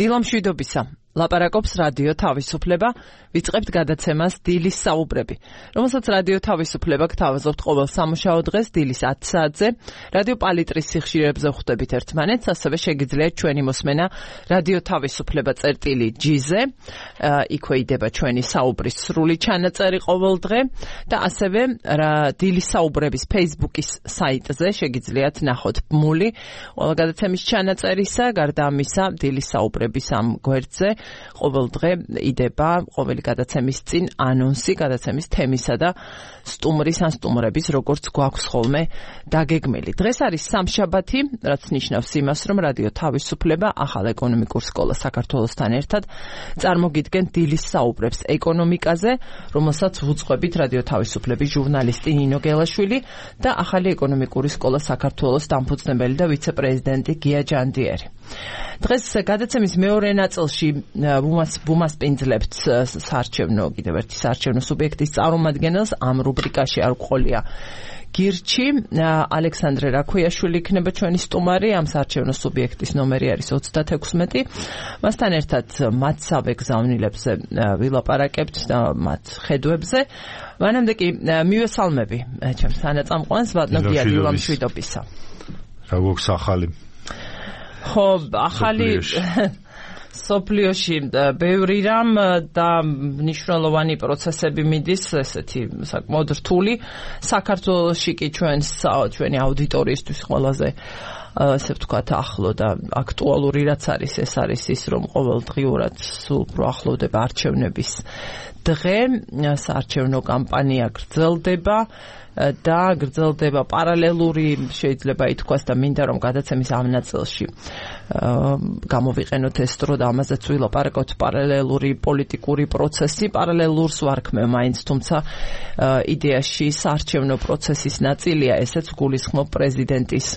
დილამშვიდობისა. ლაპარაკობს რადიო თავისუფლება, ვიწყებთ გადაცემას დილის საუბრები, რომელსაც რადიო თავისუფლება გთავაზობთ ყოველ სამუშაო დღეს დილის 10 საათზე, რადიო პალიტრის სიხშირეებზე ხვდებით ერთმანეთს, ასევე შეგიძლიათ ჩვენი მოსმენა რადიო თავისუფლება წერტილი.gz-ზე, იქვე იდება ჩვენი საუბრის სრული ჩანაწერი ყოველ დღე და ასევე დილის საუბრების Facebook-ის საიტზე შეგიძლიათ ნახოთ ბმული ყველა გადაცემის ჩანაწერისა, გარდა ამისა დილის საუბრების ამ გვერდზე ყოველ დღე იდება ყოველი გადაცემის წინ ანონსი გადაცემის თემისა და სტუმრის ან სტუმრების როგორც გვაქვს ხოლმე დაგეგმილი. დღეს არის სამშაბათი, რაც ნიშნავს იმას, რომ რადიო თავისუფლება ახალ ეკონომიკურ სკოლას საქართველოსთან ერთად წარმოგიდგენ დილის საუბრებს ეკონომიკაზე, რომელსაც ვუძღვებით რადიო თავისუფლების ჟურნალისტი ნინო გელაშვილი და ახალი ეკონომიკური სკოლა საქართველოს დამფუძნებელი და ვიცე-პრეზიდენტი გია ჯანდიერი. დღეს გადაცემის მეორე ნაწილში ვუმასპინძლებთ საარჩევნო კიდევ ერთი საარჩევნო სუბიექტის წარმომადგენელს ამ რუბრიკაში არ გვყოლია გირჩი ალექსანდრე რაქვიაშვილი იქნება ჩვენი სტუმარი ამ საარჩევნო სუბიექტის ნომერი არის 36 მასთან ერთად მათსავე გზავნილებზე ვილაპარაკებთ და მათ ხედვებზე მანამდე კი მივესალმები ჩემს თანაწამყვანს ბატონო გია დილამშვიდობისა რა გვაქვს ახალი ხო ახალი სოფლიოში ბევრი რამ და მნიშვნელოვანი პროცესები მიდის ესეთი საკმაოდ რთული საქართველოში კი ჩვენი აუდიტორიისთვის ყველაზე ასე ვთქვათ ახლო და აქტუალური რაც არის ეს არის ის რომ ყოველდღიურად სულ უფრო ახლოვდება არჩევნების დღე საარჩევნო კამპანია გრძელდება და გრძელდება პარალელური შეიძლება ითქვას და მინდა რომ გადაცემის ამ ნაწილში გამოვიყენოთ ეს დრო და ამაზეც ვილაპარაკოთ პარალელური პოლიტიკური პროცესი პარალელურს ვარქმევ მაინც თუმცა იდეაში საარჩევნო პროცესის ნაწილია ესეც გულისხმობ პრეზიდენტის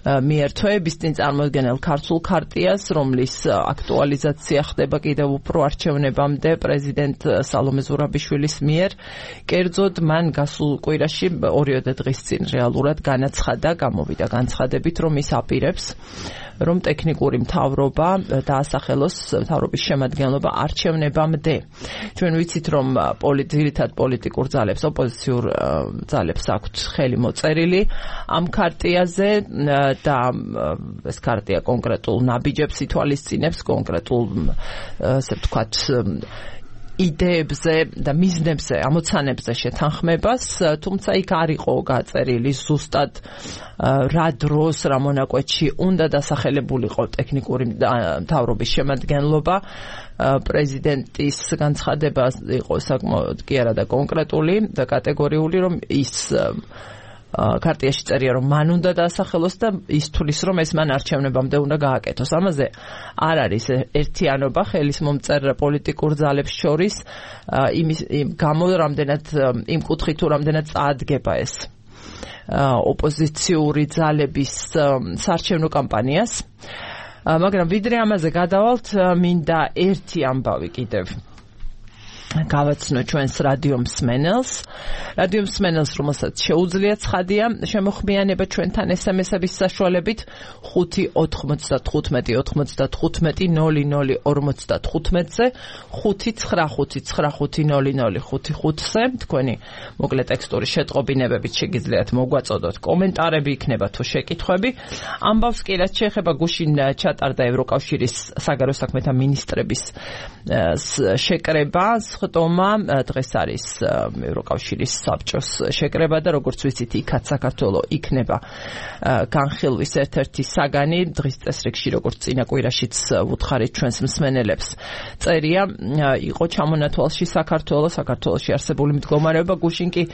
მიერ თვეების წინ წარმოდგენილ ქართულ ქარტიას, რომლის აქტუალიზაცია ხდება კიდევ უფრო არჩევნებამდე პრეზიდენტ სალომე ზურაბიშვილის მიერ. კერძოდ მან გასულ კვირაში 2 დღის წინ რეალურად განაცხადა, გამოვიდა განცხადებით, რომ ის აპირებს რომ ტექნიკური მთავრობა დაასახელოს მთავრობის შემადგენლობა არჩევნებამდე. ჩვენ ვიცით, რომ ძირითად პოლიტიკურ ძალებს, ოპოზიციურ ძალებს აქვთ ხელი მოწერილი ამ ქარტიაზე და ეს ქარტია კონკრეტულ ნაბიჯებს ითვალისწინებს, კონკრეტულ ასე ვთქვათ იდეებზე და მიზნებზე, ამოცანებზე შეთანხმებას, თუმცა იქ არ იყო გაწერილი ზუსტად რა დროს, რა მონაკვეთში უნდა დასახელებულიყო ტექნიკური მთავრობის შემადგენლობა. პრეზიდენტის განცხადება იყო საკმაოდ კი არა და კონკრეტული და კატეგორიული, რომ ის ქარტიაში წერია რომ მან უნდა დაასახელოს და ის თulis რომ ეს მან არჩევნებამდე უნდა გააკეთოს. ამაზე არ არის ერთიანობა ხელის მომწერ პოლიტიკურ ძალებს შორის იმის გამო რამდენად იმ კუთხით თუ რამდენად წაადგება ეს ოპოზიციური ძალების საარჩევნო კამპანიას. მაგრამ ვიდრე ამაზე გადავალთ, მინდა ერთი ამბავი კიდევ გავაცნო ჩვენს რადიო მსმენელს, რომელსაც შეუძლია ცხადია შემოხმიანება ჩვენთან SMS-ების საშუალებით 5-95-95-00-55-ზე 595-95-00-55-ზე თქვენი მოკლე ტექსტური შეტყობინებებით შეგიძლიათ მოგვაწოდოთ კომენტარები იქნება თუ შეკითხვები. ამბავს კი რაც შეეხება გუშინ ჩატარდა ევროკავშირის საგარეო საქმეთა მინისტრების შეკრება ხტომა დღეს არის ევროკავშირის საბჭოს შეკრება და როგორც ვიცით იქაც საქართველო იქნება განხილვის ერთ-ერთი საგანი დღის წესრიგში როგორც წინა კვირაშიც ვუთხარით ჩვენს მსმენელებს წერია იყო ჩამონათვალში საქართველოში არსებული მდგომარეობა გუშინ კი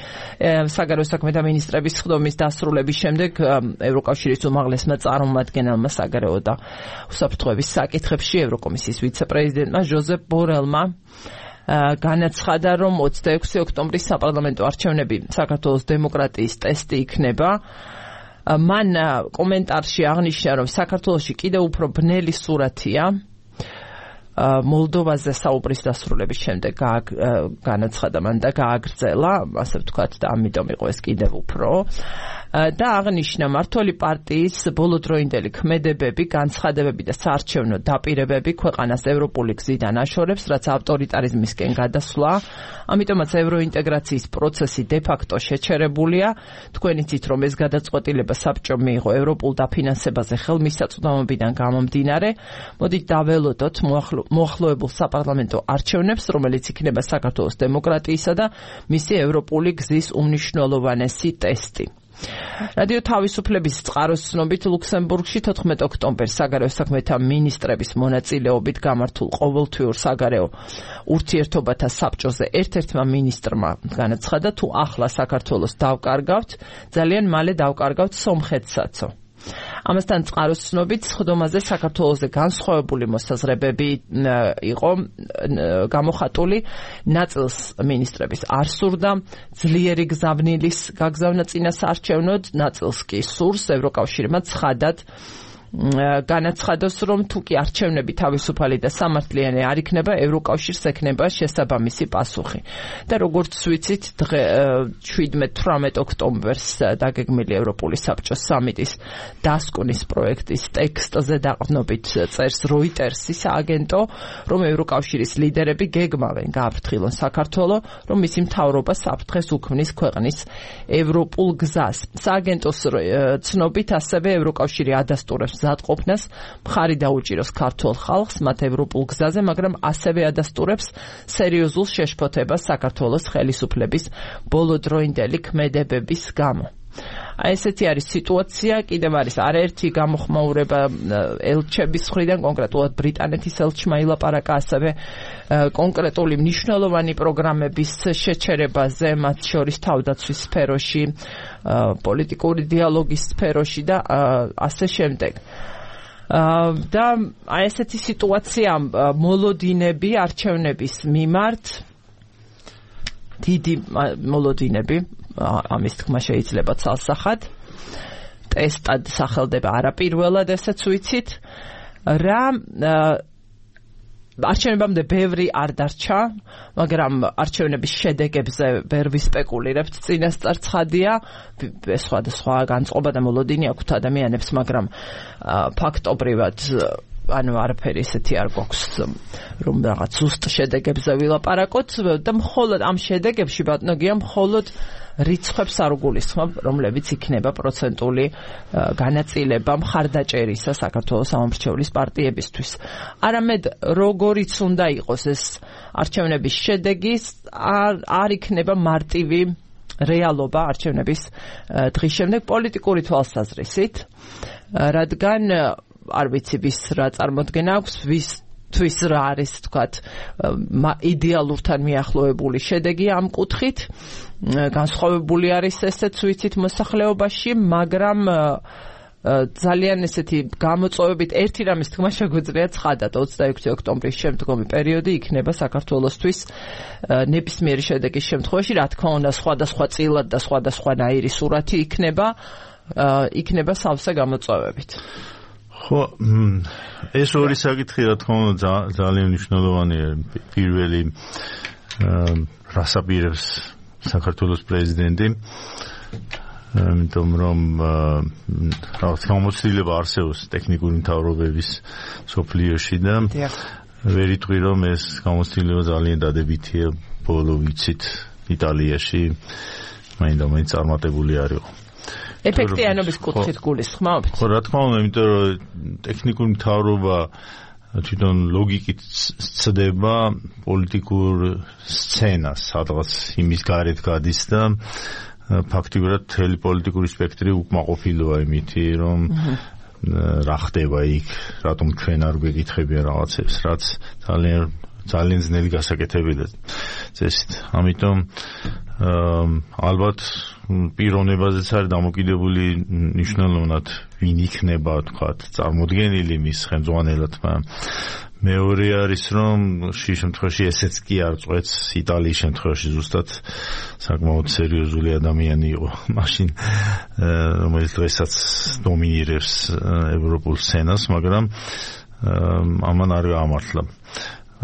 საგარეო საქმეთა მინისტრების ხდომის დასრულების შემდეგ ევროკავშირის უმაღლესმა წარმომადგენელმა საგარეო და უსაფრთხოების საკითხებში ევროკომისიის ვიცე-პრეზიდენტმა ჟოზეფ ბორელმა განაცხადა, რომ 26 ოქტომბრის საპარლამენტო არჩევნები საქართველოს დემოკრატიის ტესტი იქნება. მან კომენტარში აღნიშნა, რომ საქართველოში კიდევ უფრო ბნელი სურათია მოლდოვაზე საუბრის დასრულების შემდეგ განაცხადა მან და გააგრძელა, ასე ვთქვათ, და ამიტომ იყო ეს კიდევ უფრო და აღნიშნა მართველი პარტიის ბოლოდროინდელი ქმედებები, განცხადებები და საარჩევნო დაპირებები ქვეყანას ევროპული გზიდან აშორებს, რაც ავტორიტარიზმისკენ გადასვლა. ამიტომაც ევროინტეგრაციის პროცესი დე-ფაქტო შეჩერებულია. თქვენ იცით, რომ ეს გადაწყვეტილება საბჭომ მიიღო ევროპულ დაფინანსებაზე ხელმისაწვდომობიდან გამომდინარე. მოდით დაველოდოთ მოახლოებულ საპარლამენტო არჩევნებს, რომელიც იქნება საქართველოს დემოკრატიისა და მისი ევროპული გზის უმნიშვნელოვანესი ტესტი. რადიო თავისუფლების წყაროს ცნობით ლუქსემბურგში 14 ოქტომბერს საგარეო საქმეთა მინისტრების მონაწილეობით გამართულ ყოველთვიურ საგარეო ურთიერთობათა საბჭოზე ერთ-ერთმა მინისტრმა განაცხადა, თუ ახლა საქართველოს დავკარგავთ, ძალიან მალე დავკარგავთ სომხეთსაცო. ამასთან წყაროს ცნობით სხდომაზე საქართველოზე განსხვავებული მოსაზრებები იყო გამოხატული. ნაწილს მინისტრების არ სურდა ძლიერი გზავნილის გაგზავნა წინა საარჩევნოდ, ნაწილს კი სურს. ევროკავშირმა ცხადად განაცხადოს, რომ თუ კი არჩევნები თავისუფალი და სამართლიანი არ იქნება, ევროკავშირს ექნება შესაბამისი პასუხი. და როგორც ვიცით, 17-18 ოქტომბერს დაგეგმილი ევროპული საბჭოს სამიტის დასკვნის პროექტის ტექსტზე დაყრდნობით წერს Reuters-ის აგენტო, რომ ევროკავშირის ლიდერები გეგმავენ გააფრთხილონ საქართველო, რომ მისი მთავრობა საფრთხეს უქმნის ქვეყნის ევროპულ გზას. სააგენტოს ცნობით ასევე ევროკავშირი ადასტურებს მზადყოფნას მხარი დაუჭიროს ქართულ ხალხს მათ ევროპულ გზაზე, მაგრამ ასევე ადასტურებს სერიოზულ შეშფოთებას საქართველოს ხელისუფლების ბოლოდროინდელი ქმედებების გამო. ესეთი არის სიტუაცია. კიდევ არის არაერთი გამოხმაურება ელჩების მხრიდან, კონკრეტულად ბრიტანეთის ელჩმა ილაპარაკა ასევე კონკრეტული მნიშვნელოვანი პროგრამების შეჩერებაზე, მათ შორის თავდაცვის სფეროში, პოლიტიკური დიალოგის სფეროში და ასე შემდეგ. და ესეთი სიტუაცია მოლოდინები არჩევნების მიმართ, დიდი მოლოდინები, ამის თქმა შეიძლება ცალსახად, ტესტად სახელდება არაპირველად, ესეც ვიცით, რა არჩევნებამდე ბევრი არ დარჩა, მაგრამ არჩევნების შედეგებზე ვერ ვისპეკულირებთ, წინასწარ ცხადია, სხვადასხვა განწყობა და მოლოდინი აქვთ ადამიანებს, მაგრამ ფაქტობრივად არაფერი ესეთი არ გვაქვს, რომ რაღაც ზუსტ შედეგებზე ვილაპარაკოთ და მხოლოდ ამ შედეგებში ბატონოგია მხოლოდ რიცხვებს არ გულისხმობ, რომლებიც იქნება პროცენტული განაწილება მხარდაჭერისა საქართველოს სამომრჩევლის პარტიებისთვის. არამედ როგორიც უნდა იყოს ეს არჩევნების შედეგი, არ იქნება მარტივი რეალობა არჩევნების დღის შემდეგ პოლიტიკური თვალსაზრისით, რადგან არ ვიცი ვის რა წარმოდგენა აქვს, თვის რა არის თქვათ იდეალურთან მიახლოებული შედეგი ამ კუთხით, განსხვავებული არის ესეც ვიცით მოსახლეობაში, მაგრამ ძალიან ესეთი გამოწვევებით ერთი რამის თქმა შეგვიძლია ცხადად 26 ოქტომბრის შემდგომი პერიოდი იქნება საქართველოსთვის ნებისმიერი შედეგის შემთხვევაში, რა თქმა უნდა სხვადასხვა წილად და სხვადასხვანაირი სურათი იქნება სავსე გამოწვევებით. ხო, ეს ორი საკითხი რა თქმა უნდა ძალიან მნიშვნელოვანია. პირველი რასაპირებს საქართველოს პრეზიდენტი, იმიტომ რომ რაღაც გამოცდილება არსებობს ტექნიკური მთავრობების სოფლიოში და ვერ იტყვი რომ ეს გამოცდილება ძალიან დადებითია. ბოლო ვიცით იტალიაში მაინდა-მაინც წარმატებული არ იყო. ეფექტიანობის კუთხით გულისხმობთ? ხო, რა თქმა უნდა, იმიტომ რომ ტექნიკური მთავრობა თვითონ ლოგიკით ცდება პოლიტიკურ სცენას, სადღაც იმის გარეთ გადის და ფაქტიურად მთელი პოლიტიკური სპექტრი უკმაყოფილოა იმითი, რომ რა ხდება იქ, რატომ ჩვენ არ გვეკითხებიან რაღაცებს, რაც ძალიან ძნელი გასაკეთებია წესით. ამიტომ ალბათ პიროვნებაზეც არის დამოკიდებული მნიშვნელოვნად ვინ იქნება თქვათ წარმოდგენილი მის ხელმძღვანელად, მაგრამ მეორე არის რომ შე შემთხვევაში ესეც კი არ წვეთს იტალიის შემთხვევაში ზუსტად საკმაოდ სერიოზული ადამიანი იყო მაშინ რომელიც დღესაც დომინირებს ევროპულ სცენას, მაგრამ ამან არ გაამართლა.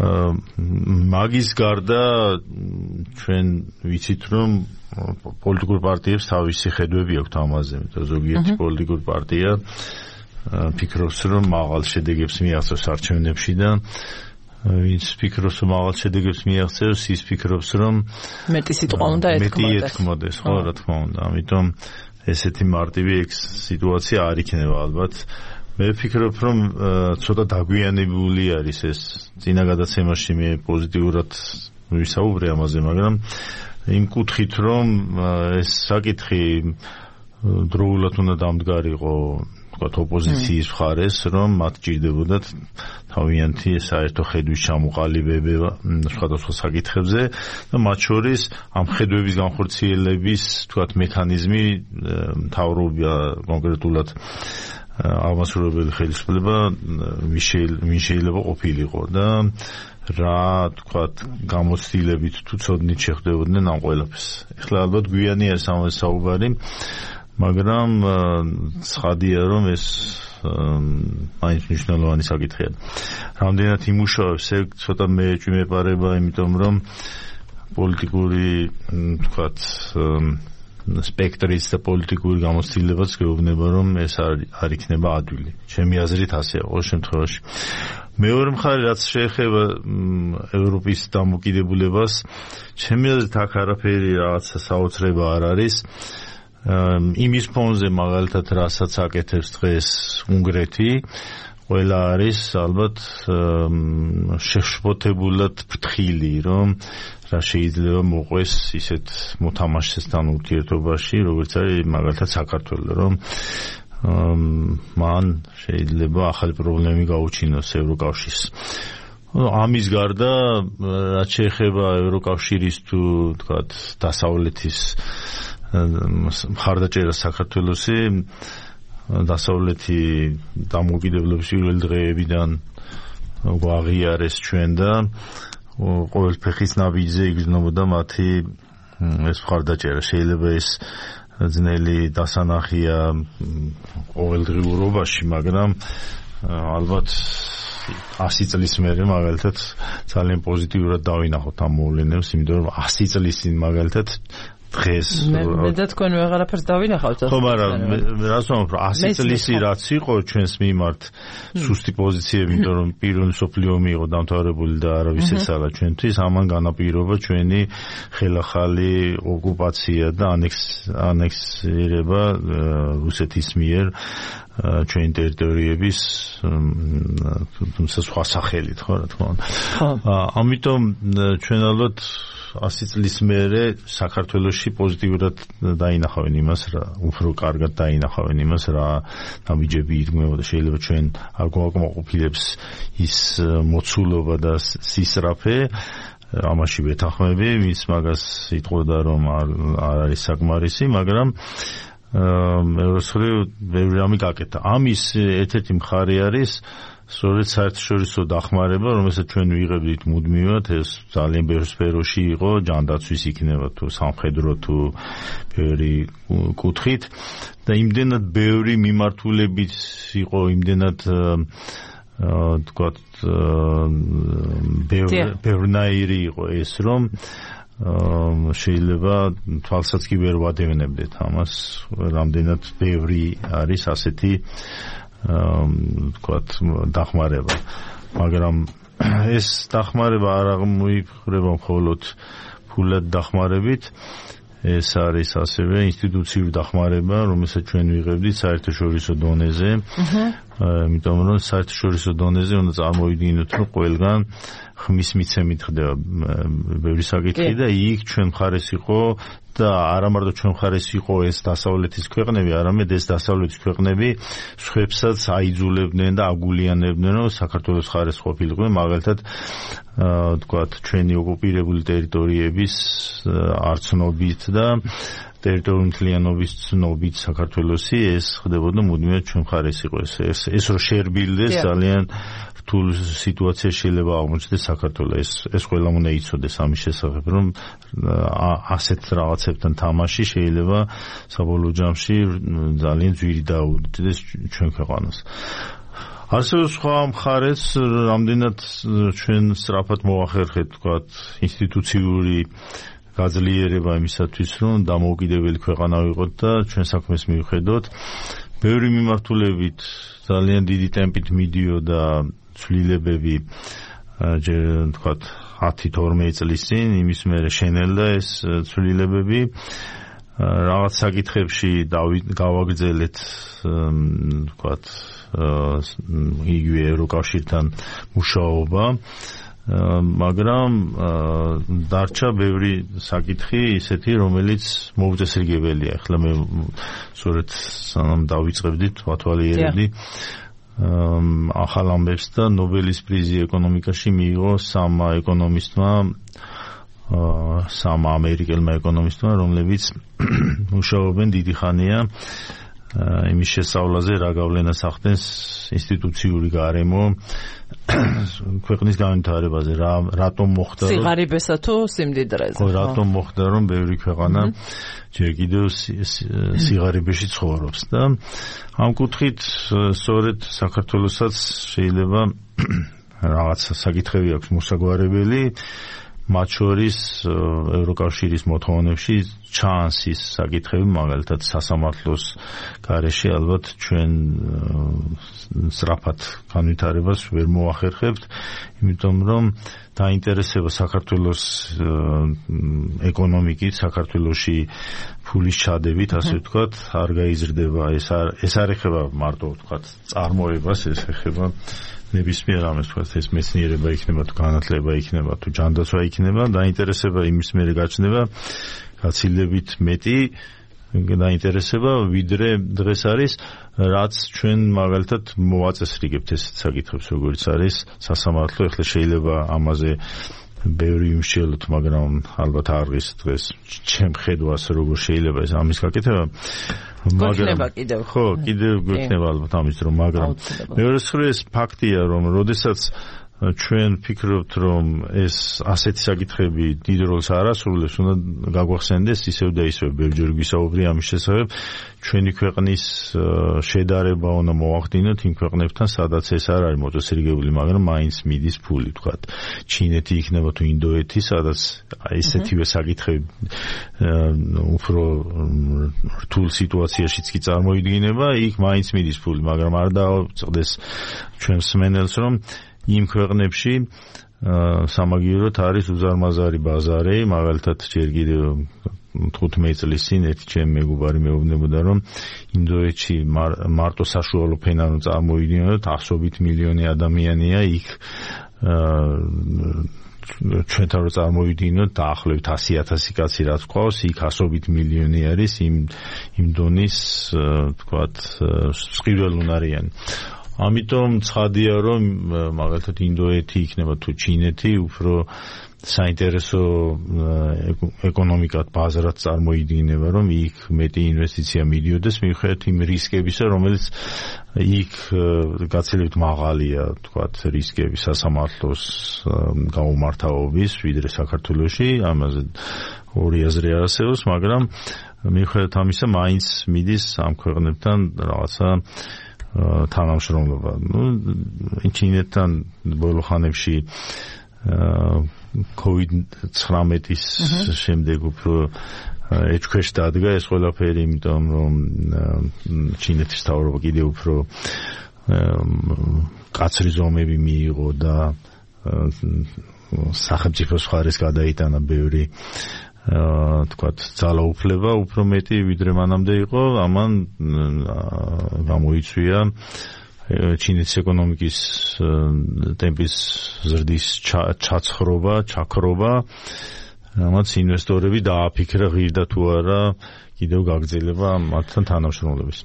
მაგის გარდა ჩვენ ვიცით რომ პოლიტიკურ პარტიებს თავისი ხედვები აქვთ ამაზე, იმიტომ ზოგიერთი პოლიტიკურ პარტია ფიქრობს, რომ მაღალ შედეგებს მიაღწევს არჩევნებში და ვინც ფიქრობს, რომ მაღალ შედეგებს მიაღწევს, ის ფიქრობს, რომ მეტი სიტყვა უნდა ეთქმოდეს, ხო, რა თქმა უნდა. ამიტომ ესეთი მარტივი სიტუაცია არ იქნება ალბათ. მე ვფიქრობ, რომ ცოტა დაგვიანებული არის ეს წინა გადაცემაში მე პოზიტიურად ვისაუბრე ამაზე, მაგრამ იმ კუთხით, რომ ეს საკითხი დროულად უნდა დამდგარიყო ოპოზიციის მხარეს, რომ მათ ჭირდებოდათ თავიანთი საერთო ხედვის ჩამოყალიბება სხვადასხვა საკითხებზე და მათ შორის ამ ხედვების განხორციელების თქვათ მექანიზმი მთავრობა კონკრეტულად აღმასრულებელი ხელისუფლება ვინ შეიძლება ყოფილიყო და რა თქვათ გამოცდილებით თუ ცოდნით შეხვდებოდნენ ამ ყველაფერს. ეხლა ალბათ გვიანი არის ამაზე საუბარი, მაგრამ ცხადია, რომ ეს მაინც მნიშვნელოვანი საკითხია. რამდენად იმუშავებს, ცოტა მეეჭვმეპარება, იმიტომ რომ პოლიტიკური თქვათ სპექტრის და პოლიტიკური გამოცდილებაც გეუბნება, რომ ეს არ იქნება ადვილი. ჩემი აზრით ასეა ყოველ შემთხვევაში. მეორე მხარე, რაც შეეხება ევროპის დამოკიდებულებას, ჩემი აზრით აქ არაფერი რაღაცა საოცრება არ არის. იმის ფონზე მაგალითად რასაც აკეთებს დღეს უნგრეთი, ყველა არის ალბათ შეშფოთებულად ფრთხილი, რომ რა შეიძლება მოყვეს ისეთ მოთამაშესთან ურთიერთობაში, როგორც არის მაგალითად საქართველო, რომ მან შეიძლება ახალი პრობლემები გაუჩინოს ევროკავშირს. ამის გარდა, რაც შეეხება ევროკავშირის თუ თქვათ დასავლეთის მხარდაჭერა საქართველოსი, დასავლეთი დამოუკიდებლობის პირველი დღეებიდან აღიარეს ჩვენ და ყოველ ფეხის ნაბიჯზე იგრძნობოდა მათი ეს მხარდაჭერა. შეიძლება ეს ძნელი დასანახია ყოველდღიურობაში, მაგრამ ალბათ 100 წლის მერე მაგალითად ძალიან პოზიტიურად დავინახოთ ამ მოვლენებს, იმიტომ რომ 100 წლის წინ მაგალითად დღეს მე და თქვენ ვეღარაფერს დავინახავთ. ხო, მაგრამ რას ვამბობ, 100 წლისი რაც იყო ჩვენს მიმართ სუსტი პოზიციები, იმიტომ რომ პირველი მსოფლიო ომი იყო დამთავრებული და არავის ეცალა ჩვენთვის, ამან განაპირობა ჩვენი ხელახალი ოკუპაცია და ანექსირება რუსეთის მიერ ჩვენი ტერიტორიების თუმცა სხვა სახელით, ხო, რა თქმა უნდა. ამიტომ ჩვენ ალბათ 100 წლის მერე საქართველოში პოზიტიურად დაინახავენ იმას, რა უფრო კარგად დაინახავენ იმას, რა ნაბიჯები ირგმევოდა. შეიძლება ჩვენ არ გვაკმაყოფილებს ის მოცულობა და სისწრაფე, ამაში ვეთანხმები, ვინც მაგას იტყოდა, რომ არ არის საკმარისი, მაგრამ ევროსხრივ ბევრი რამე გაკეთა. ამის ერთ-ერთი მხარე არის სწორედ საერთაშორისო დახმარება, რომელსაც ჩვენ ვიღებდით მუდმივად, ეს ძალიან ბევრ სფეროში იყო, ჯანდაცვის იქნება თუ სამხედრო თუ ბევრი კუთხით და იმდენად ბევრი მიმართულებით იყო, იმდენად თქვათ ბევრნაირი იყო ეს, რომ შეიძლება თვალსაც კი ვერ ვადევნებდეთ ამას, რამდენად ბევრი არის ასეთი თქვათ დახმარება. მაგრამ ეს დახმარება არ აღმოიფხვრება მხოლოდ ფულად დახმარებით, ეს არის ასევე ინსტიტუციური დახმარება, რომელსაც ჩვენ ვიღებდით საერთაშორისო დონეზე. იმიტომ რომ საერთაშორისო დონეზე უნდა წარმოვიდგინოთ, რომ ყველგან ხმის მიცემით ხდება ბევრი საკითხი და იქ ჩვენ მხარეს იყო და არა მარტო ჩვენ მხარეს იყო ეს დასავლეთის ქვეყნები, არამედ ეს დასავლეთის ქვეყნები სხვებსაც აიძულებდნენ და აგულიანებდნენ, რომ საქართველოს მხარეს ყოფილიყვნენ, მაგალითად თქვათ ჩვენი ოკუპირებული ტერიტორიების არცნობით და ტერიტორიული მთლიანობის ცნობით საქართველოსი ეს ხდებოდა მუდმივად ჩვენ მხარეს იყო. ეს რო შეერბილდეს ძალიან რთულ სიტუაციაში შეიძლება აღმოჩნდეს საქართველოს. ეს ყველამ უნდა იცოდეს ამის შესახებ, რომ ასეთ რაღაცებთან თამაში შეიძლება საბოლოო ჯამში ძალიან ძვირი დაუდდეს ჩვენ ქვეყანას. ასევე სხვა მხარეც რამდენად ჩვენ სწრაფად მოახერხეთ თქვათ ინსტიტუციური გაძლიერება იმისათვის, რომ დამოუკიდებელი ქვეყანა ვიყოთ და ჩვენ საქმეს მივხედოთ. ბევრი მიმართულებით ძალიან დიდი ტემპით მიდიოდა ცვლილებები, თქვათ 10-12 წლის წინ, იმის მერე შენელდა ეს ცვლილებები. რაღაც საკითხებში გავაგრძელეთ, თქვათ, იგივე ევროკავშირთან მუშაობა, მაგრამ დარჩა ბევრი საკითხი ისეთი, რომელიც მოუწესრიგებელია. ახლა მე სწორედ სანამ დავიწყებდით, ვათვალიერებდი ახალ ამბებს და ნობელის პრიზი ეკონომიკაში მიიღო სამმა ამერიკელმა ეკონომისტმა, რომლებიც მუშაობენ დიდი ხანია იმის შესწავლაზე, რა გავლენას ახდენს ინსტიტუციური გარემო ქვეყნის განვითარებაზე, რატომ მოხდა სიღარიბესა თუ სიმდიდრეზე. რატომ მოხდა, რომ ბევრი ქვეყანა ჯერ კიდევ სიღარიბეში ცხოვრობს და ამ კუთხით სწორედ საქართველოსაც შეიძლება რაღაც საკითხები აქვს მოსაგვარებელი, მათ შორის ევროკავშირის მოთხოვნებში ჩანს ის საკითხები, მაგალითად სასამართლოს გარეშე ალბათ ჩვენ სწრაფად განვითარებას ვერ მოახერხებთ, იმიტომ რომ დაინტერესება საქართველოს ეკონომიკით, საქართველოში ფულის ჩადებით, ასე ვთქვათ, არ გაიზრდება. ეს არ ეხება მარტო ვთქვათ წარმოებას, ეს ეხება ნებისმიერ ამას, თქვათ, ეს მეცნიერება იქნება, თუ განათლება იქნება, თუ ჯანდაცვა იქნება, დაინტერესება იმის მერე გაჩნდება გაცილებით მეტი დაინტერესება, ვიდრე დღეს არის, რაც ჩვენ მაგალითად მოვაწესრიგებთ ეს საკითხებს, როგორც არის სასამართლო. ახლა შეიძლება ამაზე ბევრი იმშელოთ, მაგრამ ალბათ არ არის დღეს ჩემ ხედვას როგორ შეიძლება ეს ამის გაკეთება. მაგრამ ხო, კიდევ გვექნება ალბათ ამის რომ, მაგრამ მეორე მხრივ ფაქტია, რომ როდესაც ჩვენ ფიქრობთ, რომ ეს ასეთი საკითხები დიდ როლს არ ასრულებს, უნდა გაგვახსენდეს ისევ და ისევ ბევრჯერ გვისაუბრია ამის შესახებ, ჩვენი ქვეყნის შედარება უნდა მოვახდინოთ იმ ქვეყნებთან, სადაც ეს არ არის მოწესრიგებული, მაგრამ მაინც მიდის ფული, თქვათ, ჩინეთი იქნება თუ ინდოეთი, სადაც ესეთივე საკითხები უფრო რთულ სიტუაციაშიც კი წარმოიდგინება, იქ მაინც მიდის ფული, მაგრამ არ დააწყდეს ჩვენ მსმენელს, რომ იმ ქვეყნებში სამაგიეროდ არის უზარმაზარი ბაზარი, მაგალითად ჯერ კიდევ 15 წლის წინ ერთი ჩემი მეგობარი მეუბნებოდა, რომ ინდოეთში მარტო საშუალო ფენა რომ წარმოიდგინოთ, 100 მილიონი ადამიანია იქ, ჩვენთან რომ წარმოვიდგინოთ, დაახლოებით 100,000 კაცი რაც ყავს, იქ 100 მილიონი არის იმ დონის, თქვათ, სყიდველუნარიანი. ამიტომ ცხადია, რომ მაგალითად ინდოეთი იქნება თუ ჩინეთი უფრო საინტერესო ეკონომიკად ბაზრად წარმოიდგინება, რომ იქ მეტი ინვესტიცია მიდიოდეს მიუხედავად იმ რისკებისა, რომელიც იქ გაცილებით მაღალია, თქვათ, რისკები სასამართლოს გაუმართავობის, ვიდრე საქართველოში, ამაზე ორი აზრი არსებობს, მაგრამ მიუხედავად ამისა, მაინც მიდის ამ ქვეყნებთან რაღაცა თანამშრომლობა. ჩინეთთან ბოლო ხანებში COVID-19-ის შემდეგ უფრო ეჭქვეშ დადგა ეს ყველაფერი, იმიტომ რომ ჩინეთის მთავრობა კიდევ უფრო კაცრი ზომები მიიღო და სახელმწიფოს მხარეს გადაიტანა ბევრი თქვათ ძალაუფლება უფრო მეტი ვიდრე მანამდე იყო, ამან გამოიწვია ჩინეთის ეკონომიკის ტემპის ზრდის ჩაქრობა, რამაც ინვესტორები დააფიქრა ღირდა თუ არა კიდევ გაგრძელება მათთან თანამშრომლობის.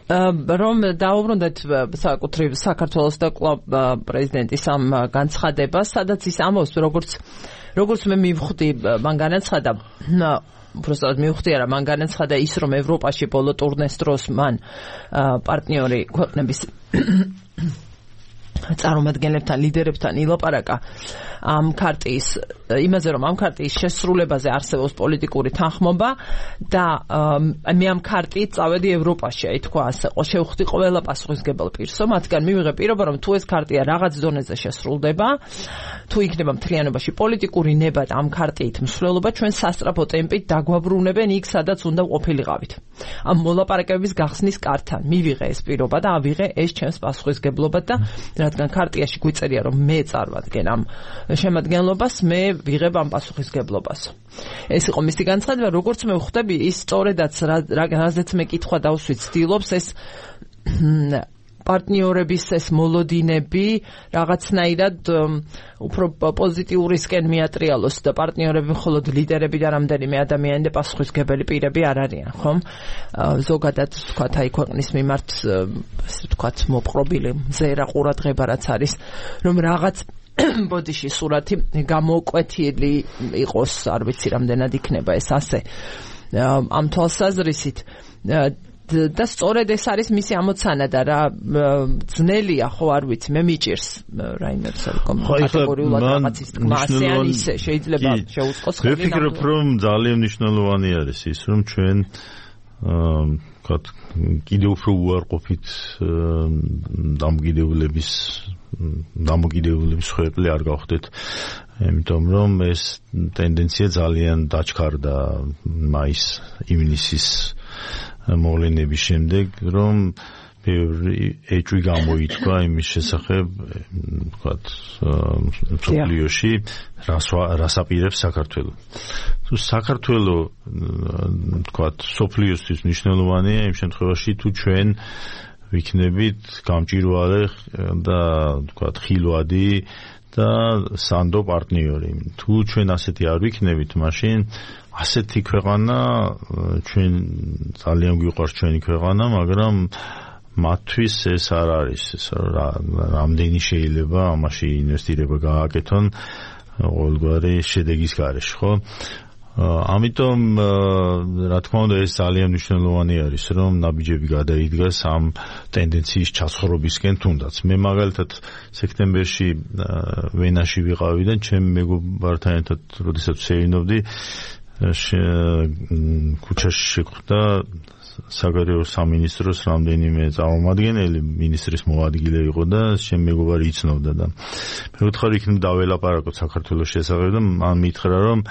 რომ დაუბრუნდეთ საკუთრივ საქართველოს და კვლავ პრეზიდენტის ამ განცხადებას, სადაც ის ამბობს, როგორც მე მივხვდი, მან განაცხადა, უბრალოდ მივხვდი არა, მან განაცხადა ის, რომ ევროპაში ბოლო ტურნეს დროს მან პარტნიორი ქვეყნების წარმომადგენლებთან, ლიდერებთან ილაპარაკა ამ ქარტიის იმაზე, რომ ამ ქარტიის შესრულებაზე არსებობს პოლიტიკური თანხმობა და მე ამ ქარტიით წავედი ევროპაში, აი თქვა ასე, შევხვდი ყველა პასუხისმგებელ პირსო, მათგან მივიღე პირობა, რომ თუ ეს ქარტია რაღაც დონეზე შესრულდება, თუ იქნება მთლიანობაში პოლიტიკური ნება და ამ ქარტიით მსვლელობა, ჩვენ სასწრაფო ტემპით დაგვაბრუნებენ იქ, სადაც უნდა ყოფილიყავით. ამ მოლაპარაკებების გახსნის კართან მივიღე ეს პირობა და ავიღე ეს ჩემს პასუხისმგებლობად და რადგან ქარტიაში გვიწერია, რომ მე წარვადგენ ამ შემადგენლობას, მე ვიღებ ამ პასუხისმგებლობას. ეს იყო მისი განცხადება, როგორც მე ვხვდები, ის სწორედაც რაზეც მე კითხვა დავსვით, ცდილობს ეს პარტნიორების ეს მოლოდინები რაღაცნაირად უფრო პოზიტიურისკენ მიატრიალოს და პარტნიორები მხოლოდ ლიდერები და რამდენიმე ადამიანი და პასუხისმგებელი პირები არ არიან, ხომ? ზოგადად ვთქვათ, აი ქვეყნის მიმართ ასე ვთქვათ, მოპყრობილი მზერა ყურადღება რაც არის, რომ რაღაც ბოდიში სურათი გამოკვეთილი იყოს, არ ვიცი რამდენად იქნება ეს ასე ამ თვალსაზრისით და სწორედ ეს არის მისი ამოცანა და რა ძნელია, ხო არ ვიცი, მე მიჭირს რაიმე კატეგორიულად რაღაცის თქმა ასე ან ისე შეიძლება შეუწყოს ხელი. ვფიქრობ, რომ ძალიან მნიშვნელოვანი არის ის, რომ ჩვენ კიდევ უფრო უარყოფით დამოკიდებულების ხვეპლი არ გავხდეთ, იმიტომ რომ ეს ტენდენცია ძალიან დაჩქარდა მაის-ივნისის მოვლენების შემდეგ, რომ ეჭვი გამოიწვა იმის შესახებ, ვთქვათ, მსოფლიოში რას აპირებს საქართველო. თუ საქართველო, ვთქვათ, მსოფლიოსთვის მნიშვნელოვანია იმ შემთხვევაში, თუ ჩვენ ვიქნებით გამჭვირვალე და ვთქვათ, ხილვადი და სანდო პარტნიორი. თუ ჩვენ ასეთი არ ვიქნებით, მაშინ ასეთი ქვეყანა ჩვენ ძალიან გვიყვარს ჩვენი ქვეყანა, მაგრამ მათთვის ეს არ არის, რამდენი შეიძლება ამაში ინვესტირება გააკეთონ ყოველგვარი შედეგის გარეშე, ხო? ამიტომ რა თქმა უნდა ეს ძალიან მნიშვნელოვანი არის, რომ ნაბიჯები გადაიდგას ამ ტენდენციის ჩაცხრობისკენ თუნდაც. მე მაგალითად სექტემბერში ვენაში ვიყავი და ჩემ მეგობართან ერთად როდესაც ვსეირნობდი, ქუჩაში შეხვდა საგარეო სამინისტროს რამდენიმე წარმომადგენელი, მინისტრის მოადგილე იყო და ჩემ მეგობარი იცნობდა და მე ვთხარი იქნებ დაველაპარაკოთ საქართველოს შესახებ და მან მითხრა, რომ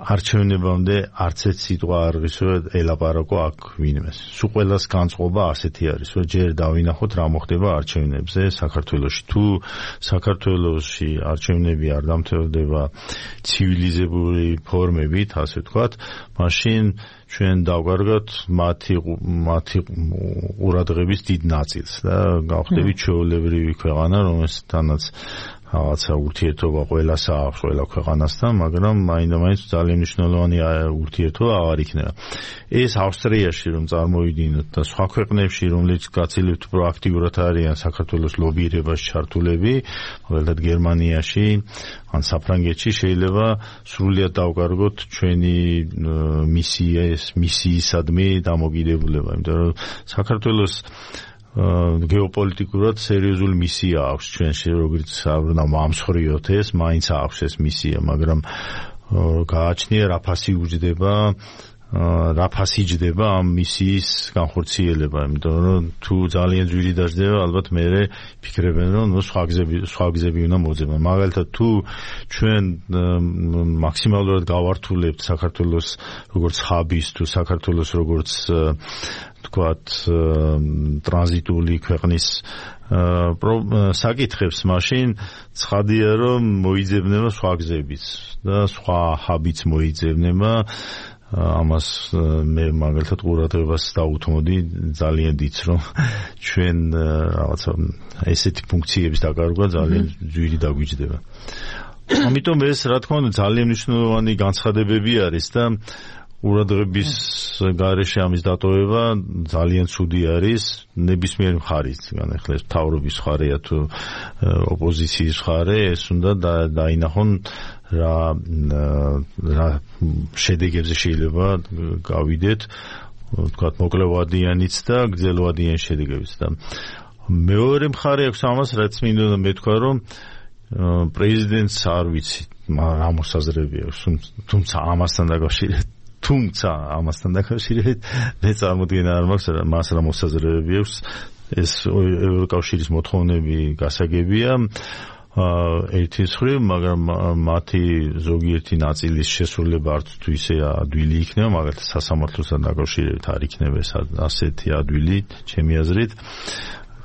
არჩევნებამდე არც ერთ სიტყვა არ ღირსება ელაპარაკო აქ ვინმეს. სულ ყველას განწყობა ასეთი არის, რომ ჯერ დავინახოთ რა მოხდება არჩევნებზე საქართველოში. თუ საქართველოში არჩევნები არ დამთავრდება ცივილიზებული ფორმებით, ასე ვთქვათ, მაშინ ჩვენ დავგარგოთ მათი ყურადღების დიდ ნაწილს და გავხდებით ჩვეულებრივი ქვეყანა, რომელთანაც რაღაცა ურთიერთობა ყველას აქვს, ყველა ქვეყანასთან, მაგრამ მაინდა-მაინც ძალიან მნიშვნელოვანი ურთიერთობა აღარ იქნება. ეს ავსტრიაში რომ წარმოვიდინოთ და სხვა ქვეყნებში, რომლებიც გაცილებით უფრო აქტიურად არიან საქართველოს ლობირებაში ჩართულები, მაგალითად გერმანიაში ან საფრანგეთში შეიძლება სრულიად დავკარგოთ ჩვენი მისიისადმი დამოკიდებულება, იმიტომ რომ საქართველოს გეოპოლიტიკურად სერიოზული მისია აქვს ჩვენში, როგორც არ მომსხვრიოთ ეს, მაინც აქვს ეს მისია, მაგრამ გააჩნია რა ფასი ჯდება ამ მისიის განხორციელება, იმიტომ რომ თუ ძალიან ძვირი დაждდება, ალბათ მე ფიქრებენ, რომ სხვა გზები უნდა მოძებნონ. მაგალითად, თუ ჩვენ მაქსიმალურად გავართულებთ საქართველოს როგორც ჰაბის, თუ საქართველოს როგორც ვთქვათ, ტრანზიტული ქვეყნის საკითხებს, მაშინ ცხადია, რომ მოიძებნება სხვა გზებიც და სხვა ჰაბიც მოიძებნება. ამას მე მაგალითად ყურადღებას დავუთმოდი ძალიან დიდს, რომ ჩვენ რაღაცა ესეთი ფუნქციების დაკარგვა ძალიან ძვირი დაგვიჯდება. ამიტომ ეს რა თქმა უნდა ძალიან მნიშვნელოვანი განცხადებები არის და ყურადღების გარეშე ამის დატოვება ძალიან ცუდი არის ნებისმიერ მხარისგან. ახლა ეს მთავრობის მხარეა თუ ოპოზიციის მხარე, ეს უნდა დაინახონ რა შედეგებზე შეიძლება გავიდეთ, ვთქვათ, მოკლევადიანიც და გრძელვადიან შედეგებიც და მეორე მხარე აქვს ამას, რაც მინდოდა მეთქვა, რომ პრეზიდენტს არ ვიცი რა მოსაზრები აქვს, თუმცა ამასთან დაკავშირებით მე წარმოდგენა არ მაქვს მას რა მოსაზრებები აქვს. ეს ევროკავშირის მოთხოვნები გასაგებია ერთის მხრივ, მაგრამ მათი ზოგიერთი ნაწილის შესრულება არც თუ ისე ადვილი იქნება, მაგალითად სასამართლოსთან დაკავშირებით არ იქნება ეს ასეთი ადვილი, ჩემი აზრით,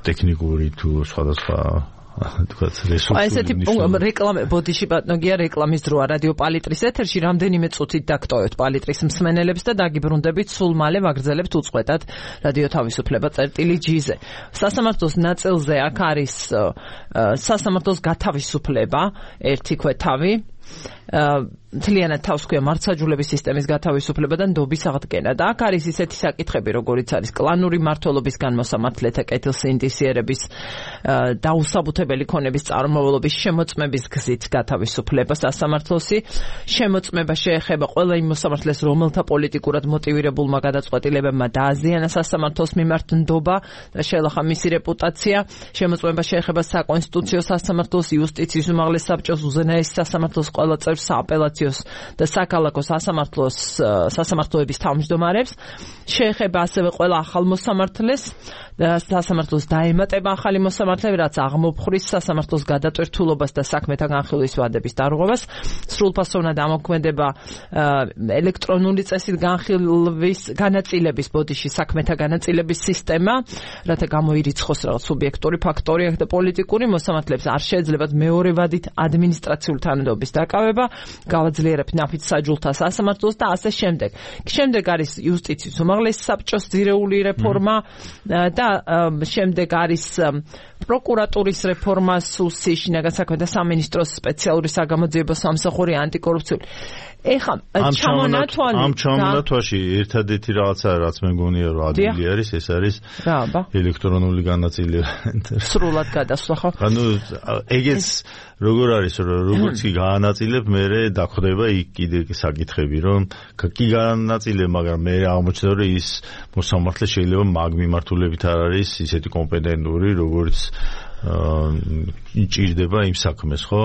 ტექნიკური თუ სხვადასხვა თქვათ რესურსული. ესეთი რეკლამე ბოდიში ბატონგია რეკლამის დროა რადიო პალიტრის ეთერში რამდენიმე წუთით დაგტოვებთ პალიტრის მსმენელებს და დაგიბრუნდებით სულ მალე ვაგრძელებთ უწყვეტად რადიო თავისუფლება წერტილი-G-ზე. სასამართლოს ნაწილზე აქ არის სასამართლოს გათავისუფლება ერთი ქვეთავი მთლიანად თავს ქვია მართლმსაჯულების სისტემის გათავისუფლება და ნდობის აღდგენა და აქ არის ისეთი საკითხები როგორიც არის კლანური მმართველობის განმოსამართლეთა კეთილსინდისიერების დაუსაბუთებელი ქონების წარმომავლობის შემოწმების გზით გათავისუფლება სასამართლოსი შემოწმება შეეხება ყველა იმ მოსამართლეს რომელთა პოლიტიკურად მოტივირებულმა გადაწყვეტილებებმა დააზიანა სასამართლოს მიმართ ნდობა და შეელახა მისი რეპუტაცია შემოწმება შეეხება საკონსტიტუციო სასამართლოს იუსტიციის უმაღლეს საბჭოს უზენაეს სასამართლოს ყველა წევრს სააპელაციოს და საქალაქო სასამართლოების თავმჯდომარებს შეეხება ასევე ყველა ახალ მოსამართლეს და სასამართლოს დაემატება ახალი მოსამართლეები რაც აღმოფხრის სასამართლოს გადატვირთულობას და საქმეთა განხილვის ვადების დარღვევას სრულფასოვნად ამოქმედება ელექტრონული წესით განხილვის განაწილების ბოდიში საქმეთა განაწილების სისტემა რათა გამოირიცხოს რაღაც სუბიექტური ფაქტორი და პოლიტიკური მოსამართლეებს არ შეეძლებათ მეორე ვადით ადმინისტრაციული თანადობის დაკავება გავაძლიერებთ ნაფიც საჯულთა სასამართლოს და ასე შემდეგ. შემდეგ არის იუსტიციის უმაღლესი საბჭოს ძირეული რეფორმა და შემდეგ არის პროკურატურის რეფორმა სუსი შინაგან საქმეთა სამინისტროს სპეციალური საგამოძიებო სამსახური ანტიკორუფციული. ეხლა ამ ჩამონათვაში ერთადერთი რაღაცა რაც მე მგონია რომ ადვილი არის ეს არის ელექტრონული განაწილება. სრულად გადასვლა ხო? ანუ ეგეც როგორ არის როგორც კი გაანაწილებ მე დაგხვდება იქ კიდე საკითხები რომ კი გაანაწილებ მაგრამ მე აღმოჩნდა რომ ის მოსამართლე შეიძლება მაგ მიმართულებით არ არის ისეთი კომპეტენტური როგორც ჭირდება იმ საქმეს ხო